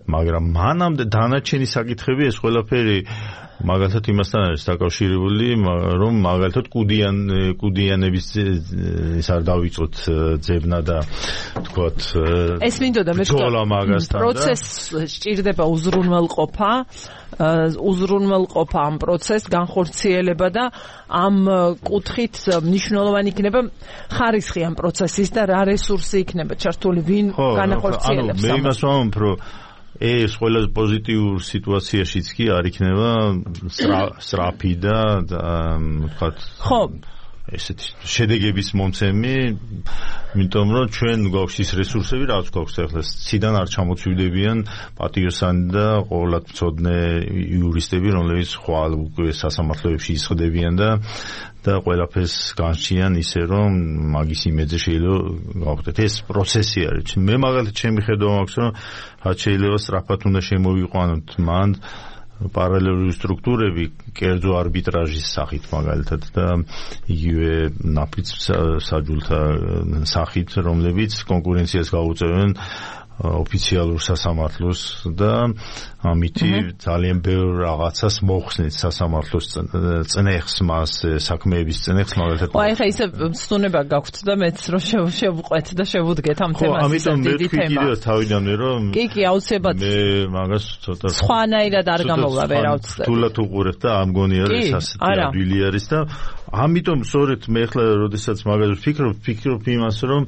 მაგრამ მანამდე დანარჩენი საკითხები ეს ყველაფერი მაგალითად იმასთან არის დაკავშირებული რომ მაგალითად კუდიანების ის არ დავიწყოთ ძებნა და თქვათ ეს მინდოდა მე პროცესს სჭირდება უზრუნველყოფა ამ პროცესს განხორციელება და ამ კუთხით მნიშვნელოვანი იქნება ხარისხი ამ პროცესის და რა რესურსი იქნება ჩართული ვინ განახორციელებს მე იმას ვამბობ რომ ეს ყველაზე პოზიტიურ სიტუაციაშიც კი არ იქნება სწრაფი და ვთქვათ ხო ესეთი შედეგების მომცემი იმიტომ რომ ჩვენ გვაქვს ის რესურსები რაც გვაქვს ახლა ციდან არ ჩამოწვიდებიან პატიოსანი და ყოველად მცოდნე იურისტები რომლებიც ხვალ უკვე სასამართლოებში ისხდებიან და ყველაფერს განსჩიან ისე რომ მაგის იმედზე შეიძლება გავხდეთ ეს პროცესი არის მე მაგალითად ჩემი ხედვა მაქვს რომ რაც შეიძლება სწრაფად უნდა შემოვიყვანოთ მან პარალელური სტრუქტურები კერძო არბიტრაჟის სახით მაგალითად და იგივე ნაფიც საჯულთა სახით რომლებიც კონკურენციას გაუწევენ ოფიციალურ სასამართლოს და ამითი ძალიან ბევრ რაღაცას მოხსნით სასამართლოს წნეხს მას საქმეების წნეხს მაგალითად აი ხა ისე სწუნება გაქვთ და მეც რომ შევყვეთ და შევუდგეთ ამ თემას ამიტომ მე კიდევ თავიდანვე რომ კი აუცილებლად მე მაგას ცოტა სხვანაირად არ გამოვლა ვერაუცდები თულად უყურებ და ამ გონია რომ ეს ასეთი ადვილი არის და ამიტომ სწორედ მე ხლა როდესაც მაგას ვფიქრობ იმას რომ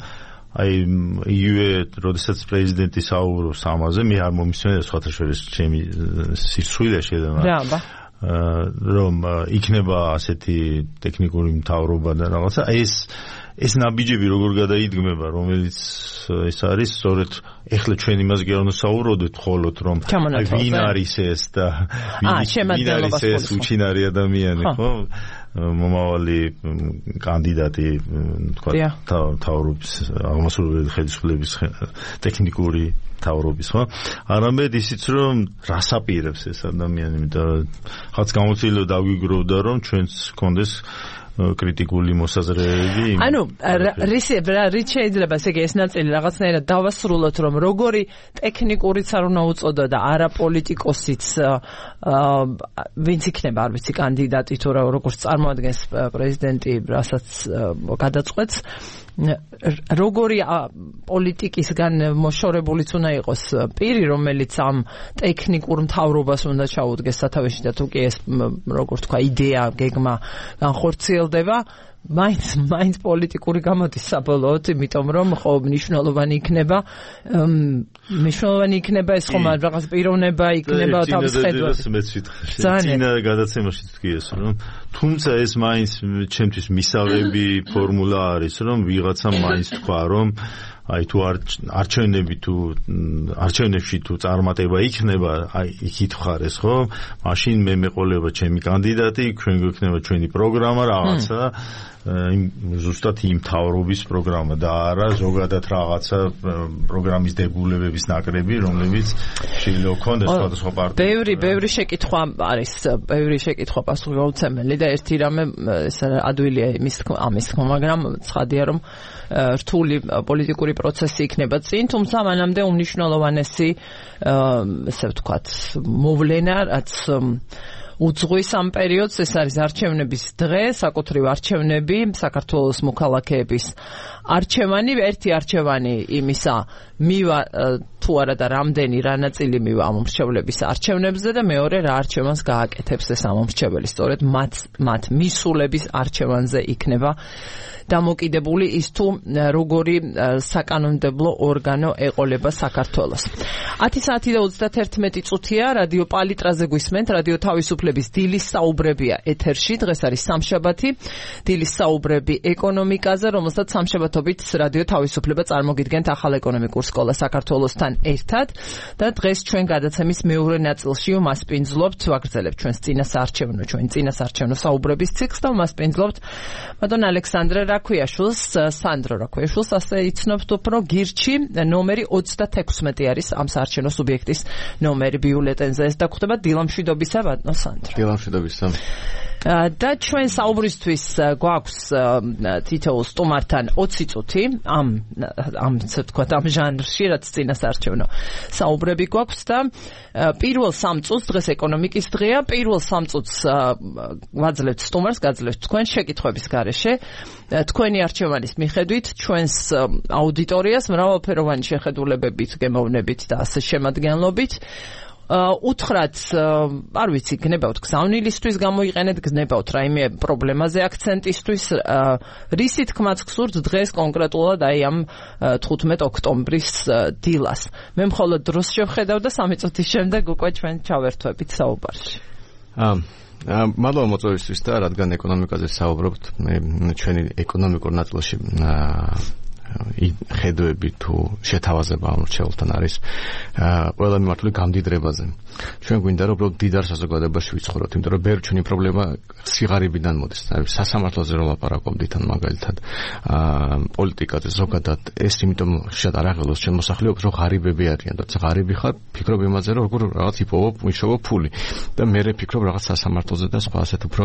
აი იგივე როდესაც პრეზიდენტი საუბრობს ამაზე მე არ მომისმენია სხვათა შორის ჩემი სიცხვიდე შეიძლება რომ იქნება ასეთი ტექნიკური მთავრობა და რაღაცა ეს ნაბიჯები როგორ გადაიდგმება რომელიც ეს არის სწორედ ეხლა ჩვენ იმას გეუნსაუბრობთ ხოლოდ რომ ვინ არის ეს და ვინ არის ეს უჩინარი ადამიანი ხო მომავალი კანდიდატი თქვა თავრობის აღმასრულებელი ხელისუფლების ტექნიკური თავრობის ხო არამედ ისიც რომ რას აპირებს ეს ადამიანი და ხაც გამოცდილება დაგვიგროვდა რომ ჩვენს კონდეს კრიტიკული მოსაზრებები. ანუ რით შეიძლება ესე იგი ეს ნაწილი რაღაცნაირად დავასრულოთ, რომ როგორი ტექნიკურიც არ უნდა უწოდო და არა პოლიტიკოსიც ვინც იქნება არ ვიცი კანდიდატი თუ როგორც წარმოადგენს პრეზიდენტი რასაც გადაწყვეტს როგორი პოლიტიკისგან მოშორებულიც უნდა იყოს პირი, რომელიც ამ ტექნიკურ მთავრობას უნდა ჩაუდგეს სათავეში და თუ კი ეს როგორ თქვა იდეა, გეგმა განხორციელდება, მაინც პოლიტიკური გამოდის საბოლოოდ, იმიტომ რომ ხო მნიშვნელოვანი იქნება ეს ხომ რაღაც პიროვნება იქნება თავის ხედვას. წინა გადაცემაში თქვი ეს რომ თუმცა ეს მაინც ჩემთვის მისაღები ფორმულა არის რომ ვიღაცამ მაინც თქვა რომ აი თუ არჩევნებში თუ წარმატება იქნება, აი იქით ხარეს ხო? მაშინ მე მეყოლება ჩემი კანდიდატი, ჩვენ გვექნება ჩვენი პროგრამა რაღაცა ზუსტად იმ მთავრობის პროგრამა და არა ზოგადად რაღაცა პროგრამის დებულებების ნაკრები, რომლებიც შეიძლება ქონდეს სხვადასხვა პარტიებში. ბევრი შეკითხვა არის, ბევრი შეკითხვა პასუხისმგებელი და ერთი რამე ეს ადვილია ამის თქმა, მაგრამ ცხადია რომ რთული პოლიტიკური პროცესი იქნება წინ, თუმცა მანამდე უმნიშვნელოვანესი ესე ვთქვათ მოვლენა, რაც უძღვის ამ პერიოდს ეს არის არჩევნების დღე, საკუთრივ არჩევნები, საქართველოს მოქალაქეების არჩევანი, ერთი არჩევანი იმისა მივა თუ არა და რამდენი რა ნაწილი მივა ამ მრჩევლების არჩევნებზე და მეორე რა არჩევანს გააკეთებს ეს ამ მრჩეველი, სწორედ მათ მისულების არჩევანზე იქნება დამოკიდებული ის თუ როგორი საკანონმდებლო ორგანო ეყოლება საქართველოს. 10 საათი და 31 წუთია რადიო პალიტრაზე გვისმენთ, რადიო თავისუფლების დილის საუბრებია ეთერში, დღეს არის სამშაბათი, დილის საუბრები ეკონომიკაზე, რომელსაც სამშაბათობით რადიო თავისუფლება წარმოგიდგენთ ახალ ეკონომიკურ სკოლას საქართველოსთან ერთად და დღეს ჩვენ გადაცემის მეორე ნაწილში მასპინძლობთ, ვაგრძელებთ ჩვენს წინასაარჩევნო საუბრების ციკლს და მასპინძლობთ მადონ ალექსანდრე რაქვიაშვილს, სანდრო რაქვიაშვილს, ასე იცნობთ უფრო გირჩი, ნომერი 36 არის ამ საარჩევნო სუბიექტის ნომერი ბიულეტენზე. ეს დაგხვდება დილამშვიდობისა, ბატონო სანდრო. დილამშვიდობისა. და ჩვენ საუბრისთვის გვაქვს თითოეულ სტუმართან 20 წუთი ამ ასე ვთქვათ ამ ჟანრში, რაც წინასაარჩევნო საუბრები გვაქვს და პირველ 3 წუთს დღეს ეკონომიკის დღეა, პირველ 3 წუთს გვაძლევთ სტუმარს, გაძლევთ თქვენ შეკითხვების გარეშე, თქვენი არჩევანის მიხედვით, ჩვენს აუდიტორიას მრავალფეროვანი შეხედულებებით, გემოვნებით და ასე შემადგენლობით უთხრათ, არ ვიცი, გნებავთ გზავნილისთვის გამოიყენეთ, გნებავთ რაიმე პრობლემაზე აქცენტისთვის, რისი თქმაც გსურთ დღეს კონკრეტულად აი ამ 15 ოქტომბრის დილას. მე მხოლოდ დროს შევხედავ და 3 წუთის შემდეგ უკვე ჩვენ ჩავერთვებით საუბარში. მადლობა მოწვევისთვის და რადგან ეკონომიკაზე საუბრობთ, ჩვენი ეკონომიკურ ნაწილში ხედვები თუ შეთავაზება ამ მრჩეველთან არის ყველა მიმართული გამდიდრებაზე. ჩვენ გვინდა რომ უბრალოდ დიდარ საზოგადოებაში ვიცხოვროთ, იმიტომ რომ ბევრი ჩვენი პრობლემა სიღარიბიდან მოდის. სასამართლოზე რომ ლაპარაკობდით ან მაგალითად პოლიტიკაზე ზოგადად ეს იმიტომ შეიძლება არ აღელოს ჩვენ მოსახლეობას რომ ღარიბები არიან და ღარიბი ხარ, ფიქრობ იმაზე რომ როგორ რაღაც იპოვო, მიშოვო ფული და მე ფიქრობ რაღაც სასამართლოზე და სხვა ასეთ უფრო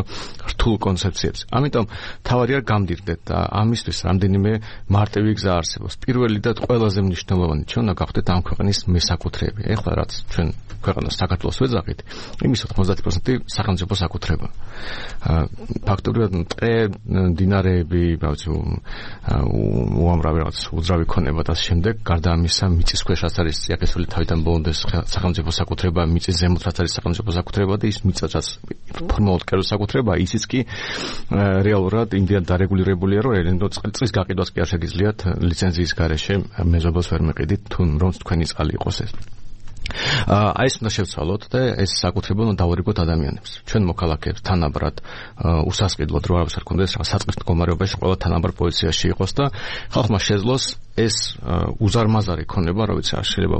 რთულ კონცეფციებს. ამიტომ თავარია გამდიდრდეთ და ამისთვის რამდენიმე მარტივი გზა არსებობს. პირველი და ყველაზე მნიშვნელოვანი ჩვენ უნდა გავხდეთ ამ ქვეყნის მესაკუთრეები. ეხლა რაც ჩვენ ქვეყანას საქართველოს ვეძახით, იმის 90% სახელმწიფო საკუთრება. ფაქტობრივად ტყე, მდინარეები, უამრავი რაღაც უძრავი ქონება და შემდეგ, გარდა ამისა, მიწის ქვეშაც არის წიაღისეული თავიდან ბოლომდე სახელმწიფო საკუთრება, მიწის ზემოთაც არის სახელმწიფო საკუთრება და ის მიწაც ფორმალურად კერძო საკუთრება, ისიც კი რეალურად იმდენად დარეგულირებულია, რომ წყლის გაყიდვას კი არ შეგიძლიათ ლიცენზიის გარეშე მეზობელს ვერ მეყიდით, თუ რომ თქვენი წყალი იყოს ეს. აი ეს უნდა შევცვალოთ და ეს საკუთრება უნდა დავარიგოთ ადამიანებს. ჩვენ მოქალაქეებს თანაბრად უსასყიდლოდ რო არავის არ კონდეს, რაღაც საწყის მდგომარეობაში ყველა თანაბრად პოზიციაში იყოს და ხალხმა შეძლოს ეს უზარმაზარი ქონება, რა ვიცი, შეიძლება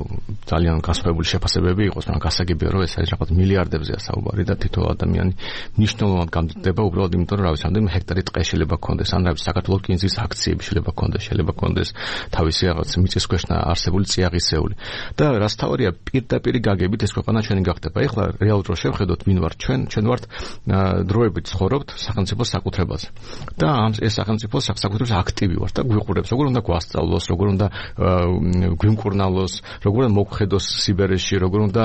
ძალიან გასხვავებული შეფასებები იყოს, მაგრამ გასაგებია, რომ ეს არის რაღაც მილიარდებზეა საუბარი და თითოეულ ადამიანი მნიშვნელოვნად გამდიდდება უბრალოდ იმიტომ, რომ რა ვიცი, რამდენიმე ჰექტარი ტყე შეიძლება გქონდეს, ან რა ვიცი, საქართველოს კინძის აქციები შეიძლება გქონდეს, თავისი რაღაც მიწის ქვეშ არსებული წიაღისეული. და რაც თავარია, პირდაპირ გაგებით ეს ქვეყანა ჩვენი გახდება. ეხლა რეალურად რო შევხედოთ, ვინ ვართ ჩვენ ვართ დროებით ცხოვრობთ სახელმწიფოს საკუთრებაზე. და ეს სახელმწიფოს საკუთრების აქტივი ვართ და გვიყურებს, როგორ უნდა გვასწავლოს, როგორ უნდა გვიმკურნალოს, როგორ უნდა მოგხედოს სიბერეში, როგორ უნდა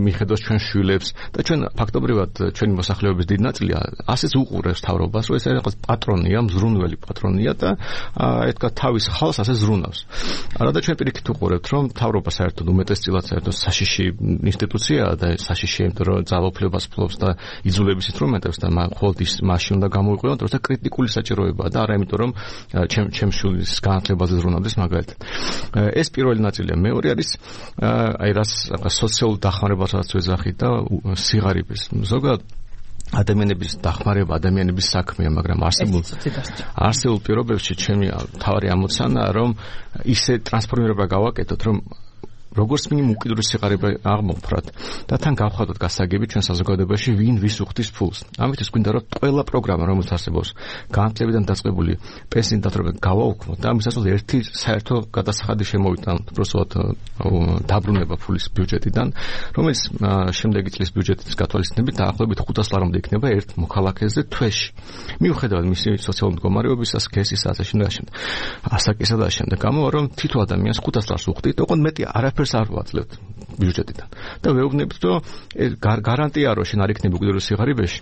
მიხედოს ჩვენ შვილებს და ჩვენ ფაქტობრივად ჩვენი მოსახლეობის დიდი ნაწილი ასეც უყურებს თავრობას, რომ ეს რაღაც პატრონია, მზრუნველი პატრონია და ეთქა თავის ხალხს ასე ზრუნავს. არა და ჩვენ პირიქით უყურებთ, რომ თავრობა საერთოდ უმეტესწილად საერთოდ საშიში ინსტიტუციაა და საშიში, იმიტომ რომ ძალაუფლებას ფლობს და იძულების ინსტრუმენტებს და მხოლოდ ის მაშინ უნდა გამოიყენოთ, როცა კრიტიკული საჭიროებაა და არა იმიტომ რომ ჩემ შვილის განათლებაზე ზრუნავდეს მაგალითად. ეს პირველი ნაწილია. მეორე არის აი რას სოციალურ დახმარებასაც ვეძახით და სიღარიბეს. ზოგადად ადამიანების დახმარება, ადამიანების საქმეა, მაგრამ არსებულ პირობებში ჩემი თავარი ამოცანაა, რომ ისე ტრანსფორმირება გავაკეთოთ, რომ როგორც მინიმუმ უკიდურეს სიღარიბე აღმოფხვრათ და თან გავხადოთ გასაგები ჩვენ საზოგადოებაში ვინ ვის უხდის ფულს. ამიტომ გვინდა რომ ყველა პროგრამა რომელიც არსებობს განათლებიდან დაწყებული პენსიით დათრობამდე გავაუქმოთ და ამისათვის ერთი საერთო გადასახადი შემოვიტანოთ უბრალოდ დაბრუნება ფულის ბიუჯეტიდან, რომელიც შემდეგი წლის ბიუჯეტის გათვალისწინებით დაახლოებით 500 ლარამდე იქნება ერთ მოქალაქეზე თვეში. მიუხედავად მისი სოციალური მდგომარეობისა, სქესისა, ასაკისა და შემდეგ გამოვა რომ თითო ადამიანს 500 ლარს უხდით, ოღონდ მეტი არაფერს არ ვაძლევთ ბიუჯეტიდან. და ვეუბნებით, რომ გარანტია რომ შენ არ იქნები უკიდურეს სიღარიბეში,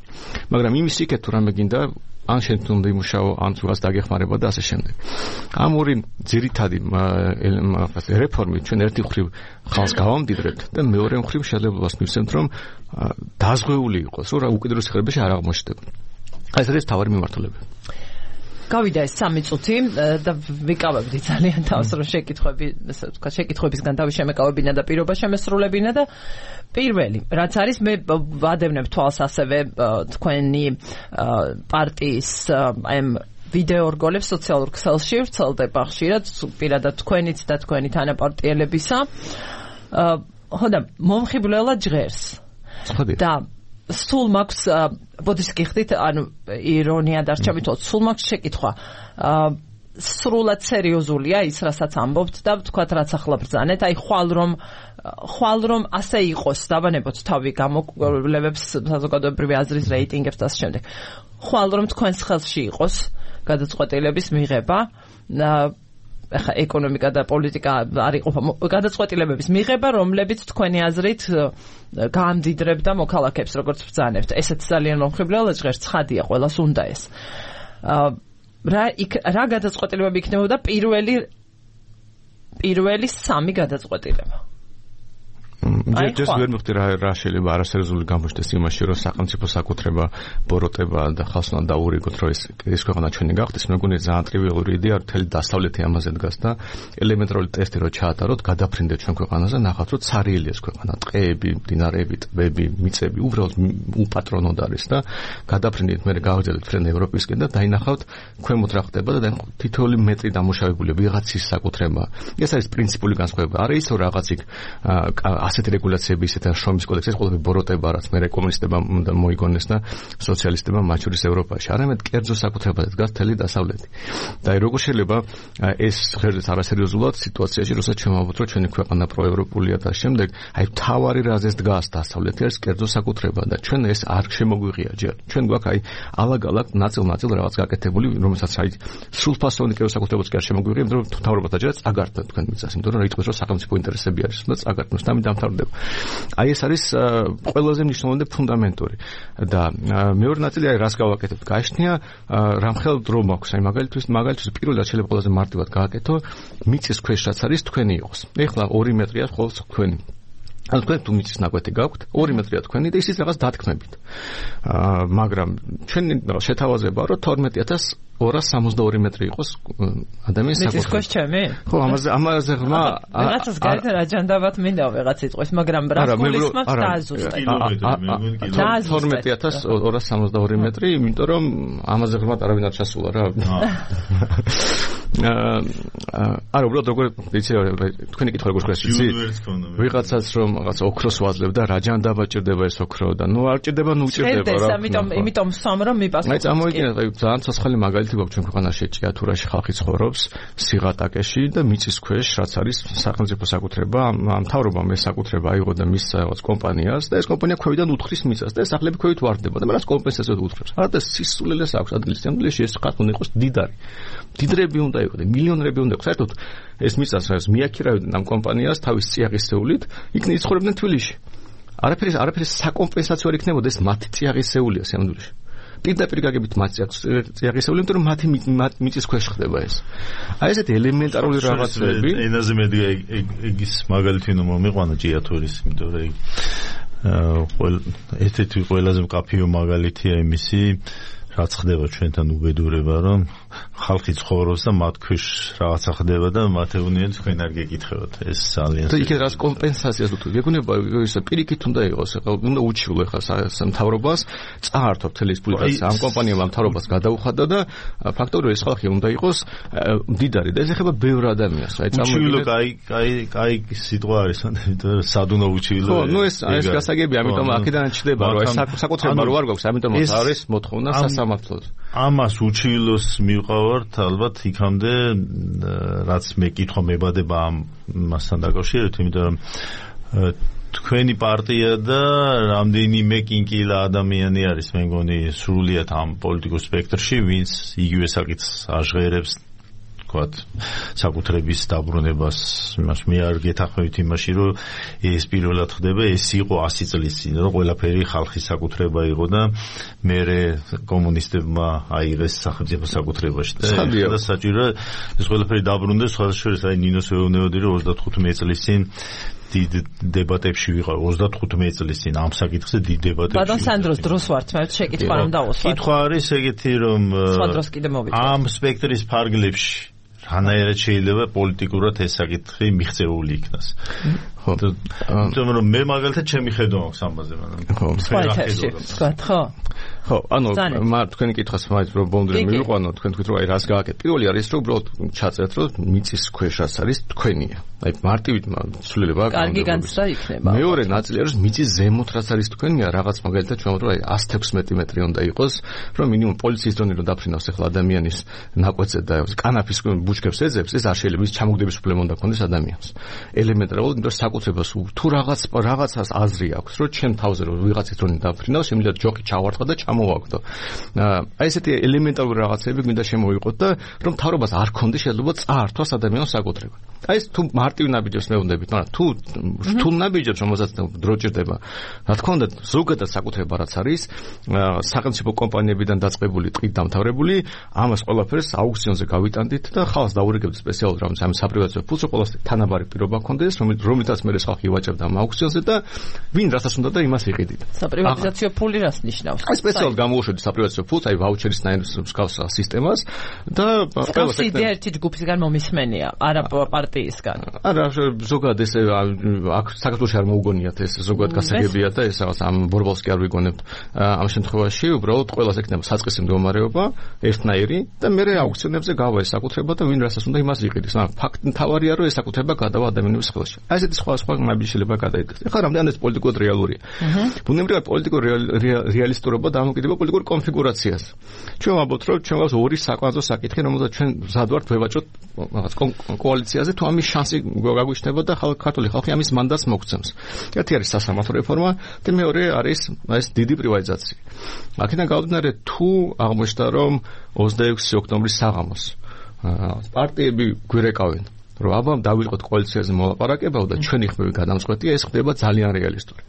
მაგრამ იმის იქეთ თუ რამე გინდა ან შენ უნდა იმუშაო, ან თუნდაც დაგეხმარება და ასე შემდეგ. ამ ორი ძირითადი რეფორმით ჩვენ ერთი მხრივ ხალხს გავამდიდრებთ და მეორე მხრივ შესაძლებლობას მივცემთ, რომ დაზღვეული იყოს, რომ უკიდურეს სიღარიბეში არ აღმოჩნდება. ეს არის თავარი მიმართულება. გავიდა ეს 3 წუთი და ვიკავებდი ძალიან თავს რომ შეკითხვებისგან თავი შემეკავებინა და პირობა შემესრულებინა და პირველი რაც არის მე ვადევნებ თვალს ასევე თქვენი პარტიის აი ვიდეო რგოლებს სოციალურ ქსელში ვრცელდება ხშირად პირადად თქვენიც და თქვენი თანაპარტიელებისა ხოდა მომხიბვლელად ჟღერს და სულ მაქვს ბოდიშ გიხდით ანუ ირონია დარჩებით სულ მაქვს შეკითხვა სრულად სერიოზულია ის რასაც ამბობთ და თქვათ რაც ახლა ბრძანეთ აი ხვალ რომ ასე იყოს დავანებოთ თავი გამოკვლევებს საზოგადოებრივი აზრის რეიტინგებს და ამ შემდეგ ხვალ რომ თქვენს ხელში იყოს გადაწყვეტილების მიღება ახლა ეკონომიკა და პოლიტიკა არ იყოფა გადაწყვეტილებების მიღება რომლებიც თქვენი აზრით გაამდიდრებდა მოქალაქეებს როგორც ბრძანებთ ესეც ძალიან მომხიბვლელად ჟღერს ცხადია ყველას უნდა ეს რა გადაწყვეტილებები იქნებოდა პირველი 3 გადაწყვეტილება ჯერ ვერ მივხვდი რა შეიძლება არასერიოზული გამოჩნდეს იმაში რომ სახელმწიფო საკუთრება ბოროტება და ხალხს უნდა დაურიგოთ რომ ეს ქვეყანა ჩვენი გახდეს მეგონია ძალიან ტრივიალური იდეა მთელი დასავლეთი ამაზე დგას და ელემენტარული ტესტი რო ჩაატაროთ გადაფრინდეთ ჩვენ ქვეყანაზე ნახავთ რომ ცარიელი ეს ქვეყანა ტყეები მდინარეები ტბები მიწები უბრალოდ უპატრონოდ არის და გადაფრინდით მე გავაგზავნეთ ფრენ ევროპისკენ და დაინახავთ ქვემოთ რა ხდება და თითოეული მეტრი დამუშავებული ვიღაცის საკუთრება ეს არის პრინციპული განსხვავება არა ის რომ რაღაც იქ ასეთი რეგულაციები ისეთ შრომის კოდექსი ეს ყველაფერი ბოროტება რაც მე კომუნისტებმა მოიგონეს და სოციალისტებმა მათ შორის ევროპაში არამედ კერძო საკუთრებაზე დგას მთელი დასავლეთი და როგორ შეიძლება ეს ღერზეც არასერიოზულად სიტუაციაში როცა შემოვაბოთ რომ ჩვენი ქვეყანა პროევროპულია და შემდეგ აი თავარი რაზეც დგას დასავლეთი არის კერძო საკუთრება და ჩვენ ეს არ შემოგვიღია ჯერ ჩვენ გვაქვს აი ალაგ-ალაგ ნაწილ-ნაწილ რაღაც გაკეთებული რომელსაც აი სრულფასოვანი კერძო საკუთრებაც კი არ შემოგვიღია იმიტომ რომ თავრობა დაჯერა წაგარდა თქვენ მიწას იმიტომ რომ იტყვის რომ სახელმწიფო ინტერესები არის და წაგარდა დამთავრდება. აი ეს არის ყველაზე მნიშვნელოვანი და ფუნდამენტური და მეორე ნაწილი აი რას გავაკეთებთ? გააჩნია რამხელ დრო მაქვს. აი მაგალითად პირველად შეიძლება ყველაზე მარტივად გააკეთო მიწის ქვეშ რაც არის თქვენი იყოს. ეხლა 2 მეტრია ხოლმე თქვენი. ანუ თქვენ თუ მიწის ნაკვეთი გაქვთ 2 მეტრია თქვენი და ისიც რაღაც დათქმებით. მაგრამ ჩვენი შეთავაზებაა რომ 12262 მეტრი იყოს ადამიანის საკუთრება. მიწის ქვეშ ჩემი? ხო, ამაზე ღრმა რაღაცას გარეთ რა ჯანდაბათ მინდა ვიღაც იტყვის, მაგრამ რასკოლის მაქვს დააზუსტე. 12262 მეტრი, იმიტომ რომ ამაზე ღრმად არავინ არ ჩასულა რა. არა, უბრალოდ როგორ იცი თქვენი კითხვა როგორ ხდება იცი? ვიღაცაც რომ რაღაც ოქროს ვაძლევ და რა ჯანდაბა ჭირდება ეს ოქრო და ნუ არ ჭირდება, ნუ ჭირდება რა. ამიტომ სამ რომ მიპასუხოთ. აი წამოვიდგინე, ძალიან ცოცხალი მაგალითი გვაქვს ჩვენ ქვეყანაში, ჭიათურაში ხალხი ცხოვრობს სიღატაკეში და მიწის ქვეშ, რაც არის სახელმწიფო საკუთრება, მთავრობამ ეს საკუთრება აიღო და მისცა რაღაც კომპანიას და ეს კომპანია ქვევიდან უთხრის მიწას და ეს სახლები ქვევით ვარდება და მას კომპენსაციად უთხრებს. არა და სისულელეს აქვს ადგილის სიამოვნებაში ეს ხალხი უნდა იყოს დიდარი. დიდრები უნდა იყოს, მილიონერები უნდა იყოს. საერთოდ ეს მიწას რაც მიაქირავდნენ ამ კომპანიას თავის წიაღისეულით, იქნებ იცხოვრებდნენ თბილისში. არაფერი საკომპენსაციო არ იქნებოდა, ეს მათი წიაღისეულია სიამოვნებაში. პირდაპირ გაგებით მათი წიაღისეული, იმიტომ რომ მათი მიწის ქვეშ ხდება ეს. აი ესეთი ელემენტარული რაღაცები. ენაზე მედი ეგის მაგალითი უნდა მომიყვანა ჭიათურის, იმიტომ რომ ესეთი ყველაზე მკაფიო მაგალითია იმისი, რაც ხდება ჩვენთან უბედურება, რომ ხალხი ცხოვრობს და მათ ქვეშ რაღაცა ხდება და მათ ეუბნიან თქვენ არ გეკითხებათ. ეს ძალიან და იქ რაც კომპენსაციას უთქვი, ეგონება ის პირიქით უნდა იყოს, უნდა უჩივლო ხა სამთავრობას წაართო მთელი ის ფული, რაც ამ კომპანიამ ამ მთავრობას გადაუხადა და ფაქტობრივად ეს ხალხი უნდა იყოს მდიდარი და ეს ეხება ბევრ ადამიანს. აი უჩივლო კაი სიტყვა არის, იმიტომ სად უნდა უჩივლო. ხო, ნუ ეს გასაგებია, ამიტომ აქედან ჩდება, რომ ეს საკუთრება რო არ გვაქვს, ამიტომ არის მოთხოვნა სასამართლოს. ამას უჩივლოს მივყავართ ალბათ იქამდე, რაც მე კითხვა მებადება ამასთან დაკავშირებით, იმიტომ რომ თქვენი პარტია და რამდენიმე კინკილა ადამიანი არის, მე მგონი სრულიად ამ პოლიტიკურ სპექტრში, ვინც იგივე საკითხს აჟღერებს საკუთრების დაბრუნებას. იმას მე არ გეთანხმებით იმაში, რომ ეს პირველად ხდება, ეს იყო 100 წლის წინ, რომ ყველაფერი ხალხის საკუთრება იყო და მერე კომუნისტებმა აიღეს სახელმწიფო საკუთრებაში და საჭირო ეს ყველაფერი დაბრუნდეს. სხვადასხვა აი ნინოს ვეუბნებოდი, რომ 35 წლის წინ დიდ დებატებში ვიყავ 35 წლის წინ ამ საკითხზე დიდ დებატებში. ბატონ სანდროს დროს ვართ, მე შეკითხვა რომ დავუსვათ. კითხვა არის ეგეთი, რომ ამ სპექტრის ფარგლებში რანაირად შეიძლება პოლიტიკურად ეს საკითხი მიღწეული იქნას. ხო. თუმცა რომ მე მაგალითად ჩემი ხედვა მაქვს ამაზე, მაგრამ ხო. ხო, ანუ თქვენი კითხვას მაინც რომ ბონდრე მივიყვანო, თქვენ თქვით რომ აი რას გააკეთეთ. პირველი არის რომ უბრალოდ ჩაწერეთ რომ მიწის ქვეშ რაც არის თქვენია. აი მარტივით ცვლილება აქვს. კარგი განცდა იქნება. მეორე ნაწილი არის მიწის ზემოთ რაც არის თქვენია, რაღაც მაგალითად ჩვენ რომ აი 116 მეტრი უნდა იყოს, რომ მინიმუმ პოლიციის დრონი რომ დაფრინავს ახლა ადამიანის ნაკვეთზე და კანაფის ბუჩქებს ეძებს, ეს არ შეიძლება, ის ჩამოგდების უფლება უნდა ქონდეს ადამიანს. ელემენტარულად, იმიტომ რომ საკუთრებას თუ რაღაცას აზრი აქვს, რომ ჩემ თავზე რომ ვიღაცის დრონი დაფრინავს, შემიძლია ჯოხი ჩავარტყა და მოვაგდო. აი ესეთი ელემენტარული რაღაცები გვინდა შემოვიყოთ და რომ მთავრობას არ ქონდეს შესაძლებლობა წაართვას ადამიანის საკუთრება. აი ეს თუ მარტივ ნაბიჯებს მეუბნებით, მაგრამ თუ ნაბიჯებს რომელსაც დრო ჭირდება, რა თქმა უნდა ზოგადად საკუთრება რაც არის სახელმწიფო კომპანიებიდან დაწყებული ტყით დამთავრებული, ამას ყველაფერს აუქციონზე გავიტანდით და ხალხს დაურიგებთ სპეციალურ რამს ამ საპრივატიზაციო ფულს, ყოველას თანაბარი პირობა ქონდეს, რომელთაც მე ხალხი ვაჭერდა ამ აუქციონზე და ვინ რასაც უნდა და იმას იყიდით. საპრივატიზაციო ფული რას ნიშნავს? აი სპეციალურად გამოუშვებთ საპრივატიზაციო ფულს, აი ვაუჩერის მსგავს სისტემას და ყველას იდეა ერთი ჯგუფისგან მომისმენია, არა პარტიისგან. არა, ზოგადად ეს აქ საქართველოში არ მოუგონიათ ეს ზოგადად გასაგებია და ეს რაღაც ამ ბორბალს კი არ ვიგონებთ ამ შემთხვევაში, უბრალოდ ყველას ექნება საწყისი მდგომარეობა, ერთნაირი და მე აუქციონებზე გავა ეს საკუთრება და ვინ რასაც უნდა იმას იყიდეს. მაგრამ ფაქტი თავარია რომ ეს საკუთრება გადავა ადამიანების ხელში. აი ესეთი სხვა ნაბიჯი შეიძლება გადაიდოს. ეხლა რამდენად ეს პოლიტიკურად რეალურია. ბუნებრივად პოლიტიკურ რეალისტურობა დამოკიდდება პოლიტიკურ კონფიგურაციას. ჩვენ ვამბობთ რომ ჩვენ გვაქვს ორი საკვანძო საკითხი, რომელსაც ჩვენ მზად ვართ ვევაჭოთ რაღაც კოალიციაზე, თუ ამის შანსი გაგვიშნდება და ქართული ხალხი ამის მანდატს მოგცემს. ერთი არის სასამართლო რეფორმა და მეორე არის ეს დიდი პრივატიზაცია. აქედან გამომდინარე თუ აღმოჩნდა რომ 26 ოქტომბრის საღამოს პარტიები გვირეკავენ რომ აბა დავიწყოთ კოალიციაზე მოლაპარაკება და ჩვენი ხმები გადამწყვეტია, ეს ხდება ძალიან რეალისტური.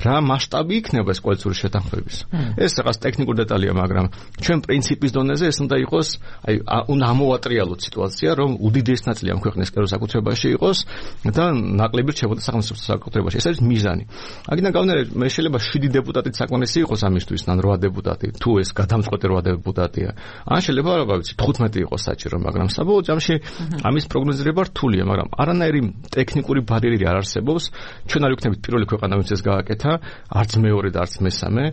რა მასშტაბი იქნება ეს კოალიციური შეთანხმების? ეს რაღაც ტექნიკური დეტალია, მაგრამ ჩვენ პრინციპის დონეზე ეს უნდა იყოს, აი უნდა ამოვატრიალოთ სიტუაცია, რომ უდიდესი ნაწილი ამ ქვეყნის კერძო საკუთრებაში იყოს და ნაკლები რჩებოდა სახელმწიფო საკუთრებაში. ეს არის მიზანი. აქედან გამომდინარე, მე შეიძლება 7 დეპუტატით საკმარისი იყოს ამისთვის, ან 8 დეპუტატი, თუ ეს გადამწყვეტი 8 დეპუტატია. ან შეიძლება, რა ვიცი, 15 იყოს საჭირო, მაგრამ საბოლოო ჯამში ამის პროგნოზირება რთულია, მაგრამ არანაირი ტექნიკური ბარიერი არ არსებობს. ჩვენ არ ვიქნებით პირველი ქვეყანა, ვინც ეს გააკეთა, არც მეორე და არც მესამე.